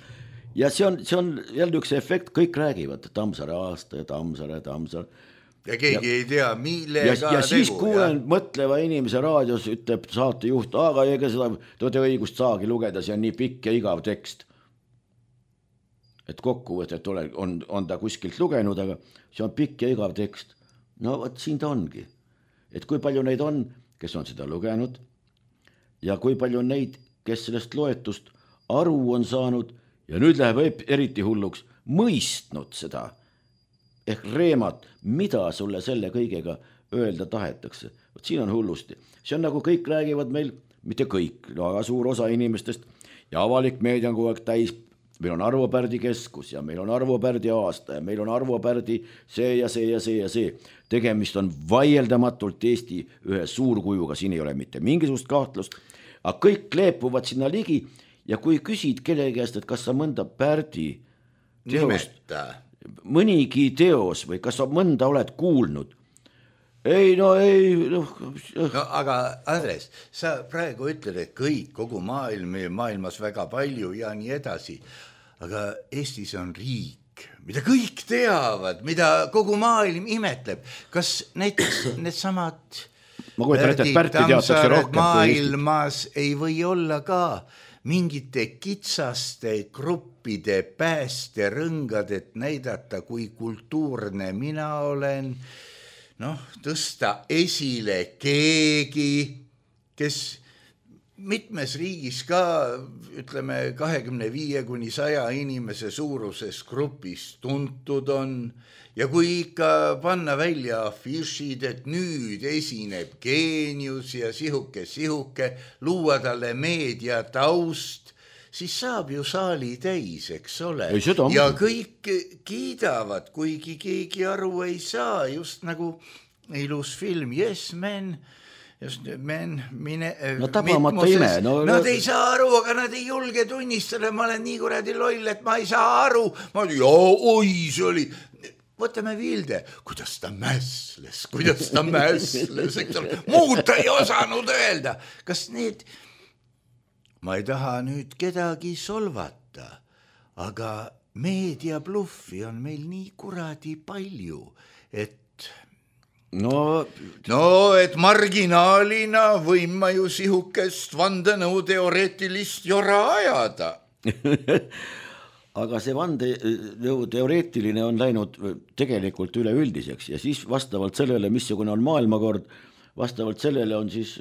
ja see on, see on jälle üks efekt, kõik räägivad, Tammsaare aasta ja Tammsaare, Tammsaare. Ja keegi ja, ei tea, millega ja, ja siis tegu, kuulen ja? Mõtleva inimese raadios ütleb saatejuht, aga ega seda tõde õigust saagi lugeda, see on nii pikk ja igav tekst. Et kokkuvõtet on, on ta kuskilt lugenud, aga see on pikk ja igav tekst. No võt, siin ta ongi. Et kui palju neid on, kes on seda lugenud ja kui palju on neid, kes sellest loetust aru on saanud ja nüüd läheb eriti hulluks mõistnud seda ehk reemat, mida sulle selle kõigega öelda tahetakse. Võt, siin on hullusti. See on nagu kõik räägivad meil, mitte kõik, no aga suur osa inimestest ja avalik meedia on kogu aeg täis meil on Arvo Pärdi keskus ja meil on Arvo Pärdi aasta ja meil on Arvo Pärdi see ja see ja see ja see. Tegemist on vaieldamatult Eesti ühe suurkujuga, siin ei ole mitte mingisugust kahtlust, aga kõik kleepuvad sinna ligi ja kui küsid kelle käest, et kas sa mõnda Pärdi teost, mõnigi teos või kas sa mõnda oled kuulnud, ei, no ei no. no aga Andres, sa praegu ütled, et kõik, kogu maailm, maailmas väga palju ja nii edasi, aga Eestis on riik, mida kõik teavad, mida kogu maailm imetleb. Kas näiteks need samad ma kujutan ette, et Pärti teatakse rohkem maailmas ei või olla ka mingite kitsaste gruppide päästerõngad, et näidata, kui kultuurne mina olen, noh, tõsta esile keegi, kes mitmes riigis ka, ütleme, kahekümne viie kuni saja inimese suuruses grupis tuntud on ja kui ikka panna välja afišid, et nüüd esineb geenius ja sihuke, sihuke, luua talle meedia taust, siis saab ju saali täis, eks ole. Ja kõik kiidavad, kuigi keegi aru ei saa, just nagu ilus film Yes Men, just men, mine, no tabamata ime. No, nad no, ei saa aru, aga nad ei julge tunnistada, ma olen nii kuradi loll, et ma ei saa aru. Ma ütlen, oi, see oli... Võtame Vilde, kuidas ta mäsles, kuidas ta mäsles, eks ole. Muud ta ei osanud öelda. Kas need... Ma ei taha nüüd kedagi solvata, aga meediabluffi on meil nii kuradi palju, et... No, no, et marginaalina võin ma ju sihukest vandenõu teoreetilist jora ajada. Aga see vandenõu teoreetiline on läinud tegelikult üleüldiseks ja siis vastavalt sellele, missugune on maailmakord, vastavalt sellele on siis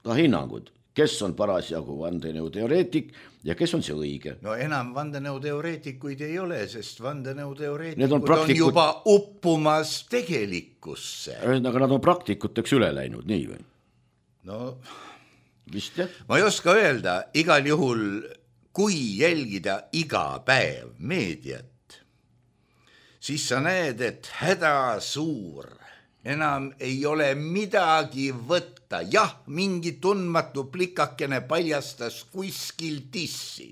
ka hinnangud. Kes on parasjagu vandenõu teoreetik ja kes on see õige? No enam vandenõu teoreetikuid ei ole, sest vandenõu teoreetikud on, praktikud... on juba uppumas tegelikkusse. Aga nad on praktikuteks üle läinud, nii või? No, vist jah. Ma ei oska öelda, igal juhul, kui jälgida iga päev meediat, siis sa näed, et häda suur. Enam ei ole midagi võtta. Jah, mingi tundmatu plikakene paljastas kuskil tissi.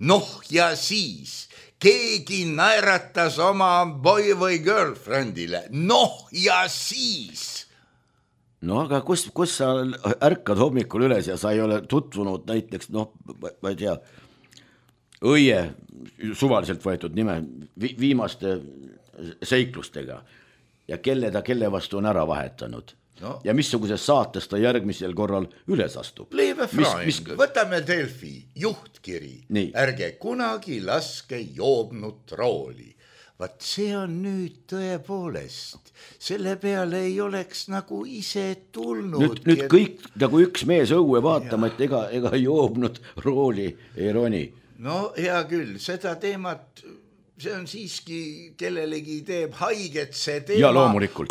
Noh ja siis keegi naeratas oma boy või girlfriendile. Noh ja siis. No aga kus, kus sa ärkad hommikul üles ja sa ei ole tutvunud näiteks, noh, ma ei tea, õie suvaliselt võetud nime vi- viimaste seiklustega. Ja kelle ta kelle vastu on ära vahetanud. No. Ja missuguses saates ta järgmisel korral üles astub. Leave Freund, mis... võtame Delfi juhtkiri. Nii. Ärge kunagi laske joobnud rooli. Vaat see on nüüd tõepoolest. Selle peale ei oleks nagu ise tulnud. Nüüd, nüüd kõik nagu üks mees õue vaatama, ja. Et ega, ega joobnud rooli ei roni. No hea küll, seda teemat... See on siiski, kellelegi teeb haiget see teema,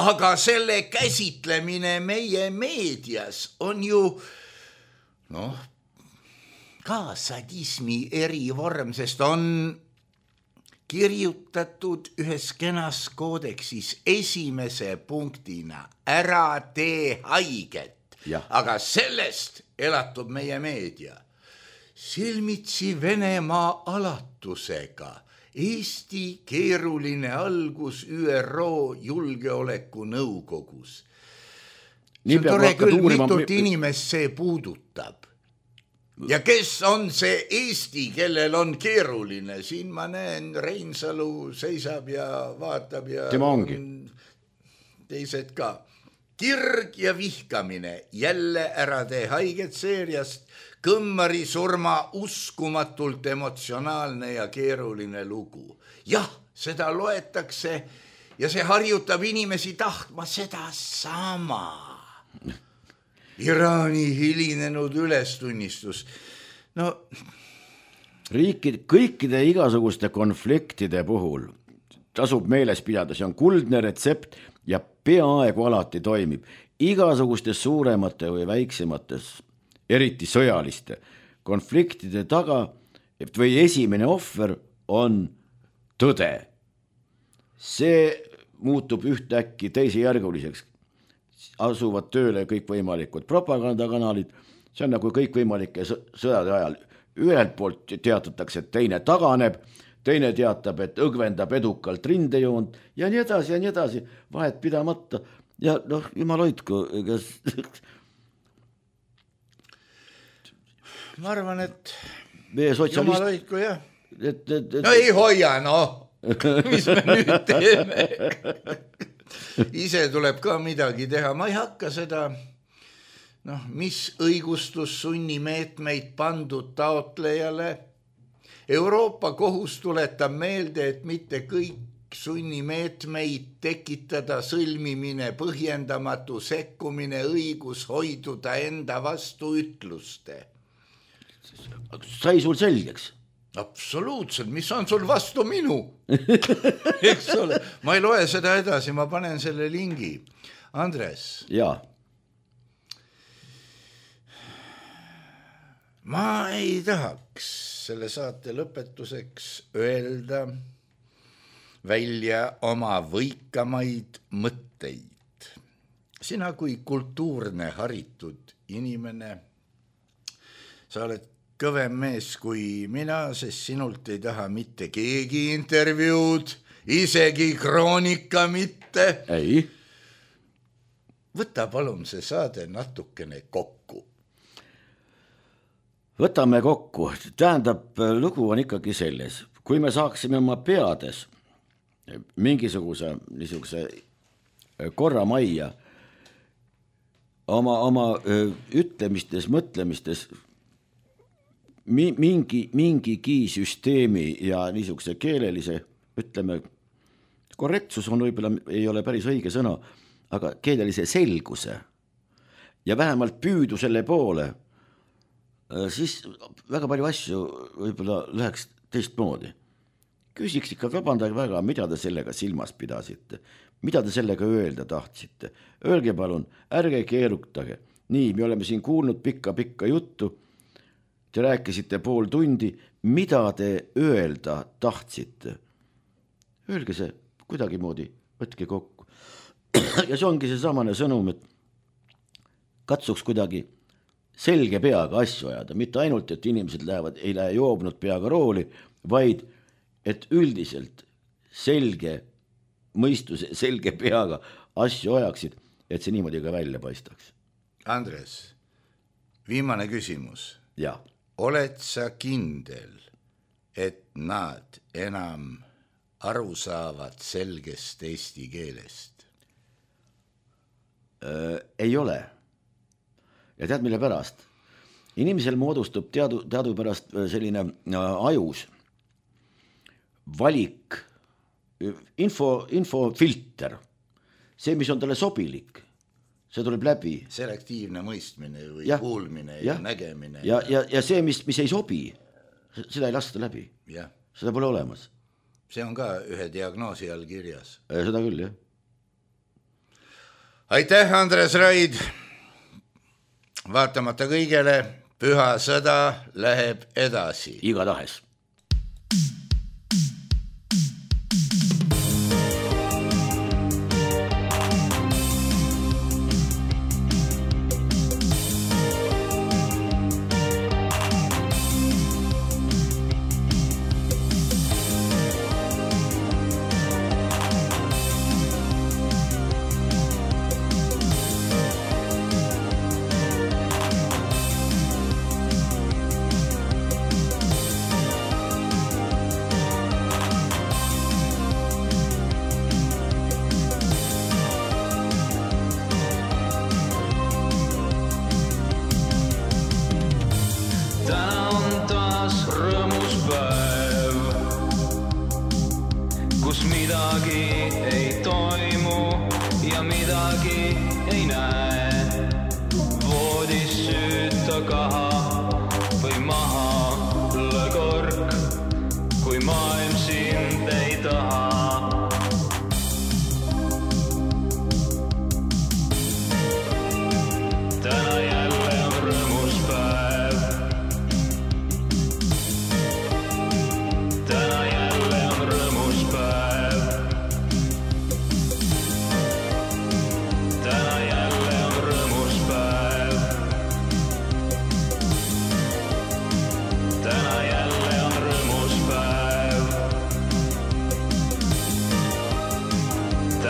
aga selle käsitlemine meie meedias on ju noh, ka sadismi erivorm, sest on kirjutatud ühes kenas koodeksis esimese punktina ära tee haiget, ja. Aga sellest elatub meie meedia. Silmitsi Venemaa alatusega. Eesti keeruline algus Ü R O julgeoleku nõukogus. See on tore küll, mitut inimest see puudutab. Ja kes on see Eesti, kellel on keeruline? Siin ma näen, Reinsalu seisab ja vaatab ja tema ongi. Teised ka. Kirg ja vihkamine, jälle ära tee haiget seeriast, Kõmmari surma uskumatult emotsionaalne ja keeruline lugu. Jah, seda loetakse ja see harjutab inimesi tahtma seda sama. Iraani hilinenud ülestunnistus. No... Riikid, kõikide igasuguste konfliktide puhul tasub meeles pidada, see on kuldne retsept ja peaaegu alati toimib. Igasugustes suuremate või väiksemates eriti sõjaliste konfliktide taga või esimene ohver on tõde. See muutub ühtäkki teisejärguliseks. Asuvad tööle kõikvõimalikud propagandakanalid, see on nagu kõikvõimalike sõjade ajal. Ühelt poolt teatatakse, et teine taganeb, teine teatab, et õgvendab edukalt rindejoont ja nii edasi ja nii edasi, vahet pidamata. Ja noh, jumal hoidku, kas... ma arvan, et sotsialist... jumal hoidku, jah. Et, et, et... no ei hoia, no. Mis me nüüd teeme? Ise tuleb ka midagi teha. Ma ei hakka seda, noh, mis õigustus sunnimeetmeid pandud taotlejale. Euroopa kohus tuletab meelde, et mitte kõik sunnimeetmeid tekitada, sõlmimine, põhjendamatu sekkumine, õigus hoiduda enda vastu ütluste. Sai sul selgeks? Absoluutselt, mis on sul vastu minu? Eks ole, ma ei loe seda edasi, ma panen selle lingi. Andres. Jaa. Ma ei tahaks selle saate lõpetuseks öelda välja oma võikamaid mõtteid. Sina kui kultuurne haritud inimene, sa oled kõvem mees kui mina, sest sinult ei taha mitte keegi intervjuud, isegi kroonika mitte. Ei. Võta palun see saade natukene kokku. Võtame kokku. Tähendab, lugu on ikkagi selles. Kui me saaksime oma peades mingisuguse niisuguse korra majja oma, oma ütlemistes, mõtlemistes mingi, mingigi süsteemi ja niisuguse keelelise, ütleme, korrektsus on võib-olla, ei ole päris õige sõna, aga keelelise selguse ja vähemalt püüdu selle poole, siis väga palju asju võib-olla läheks teistmoodi. Küsiks ikka, vabandage väga, mida te sellega silmas pidasite, mida te sellega öelda tahtsite. Öelge palun, ärge keerutage. Nii, me oleme siin kuulnud pikka-pikka juttu. Te rääkisite pool tundi, mida te öelda tahtsite. Öelge see kuidagi moodi, võtke kokku. Ja see ongi see samane sõnum, et katsuks kuidagi selge peaga asju ajada. Mitte ainult, et inimesed lähevad, ei lähe joobnud peaga rooli, vaid et üldiselt selge mõistuse, selge peaga asju ajaksid, et see niimoodi ka välja paistaks. Andres, viimane küsimus. Ja. Oled sa kindel, et nad enam aru saavad selgest eesti keelest? Äh, ei ole. Ja tead, mille pärast? Inimesel moodustub teadu, teadu pärast selline ajus valik, info, infofilter, see, mis on talle sobilik, see tuleb läbi. Selektiivne mõistmine või ja, kuulmine ja, ja nägemine. Ja, ja, ja see, mis, mis ei sobi, seda ei lasta läbi. Ja. Seda pole olemas. See on ka ühe diagnoosi all kirjas. Seda küll, jah. Aitäh, Andres Raid! Vaatamata kõigele, püha sõda läheb edasi. Iga tahes. Täna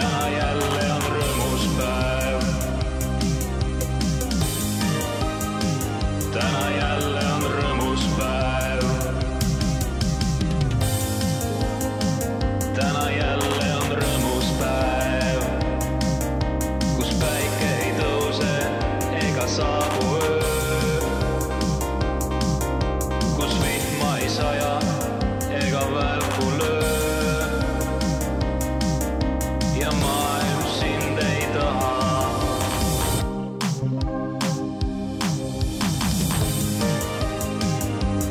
täna jälle on rõõmus päev. Täna jälle on rõõmus päev. Täna jälle on rõõmus päev, kus päike ei tõuse ega saabu öö, kus vihma ei saja ega välku löö ja maailm sind ei taha.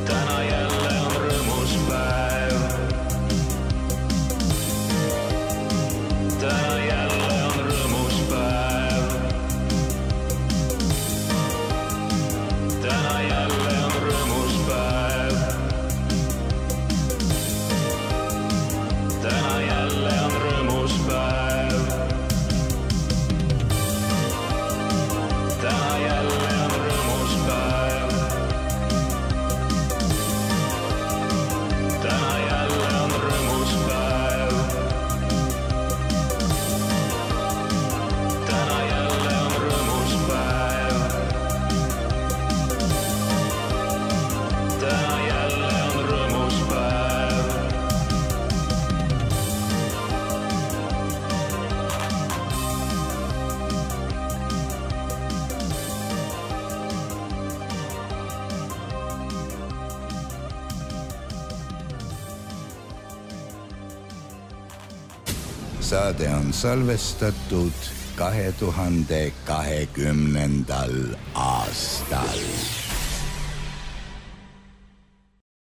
Täna jälle on rõõmus päev. Täna jälle on rõõmus päev. Täna jälle on rõõmus päev. Täna jälle on rõõmus päev. Täna jälle on rõõmus päev. Täna jälle on rõõmus päev. Täna jälle on rõõmus päev. Täna jälle on rõõmus päev. Saade on salvestatud kahe tuhande kahekümnendal aastal.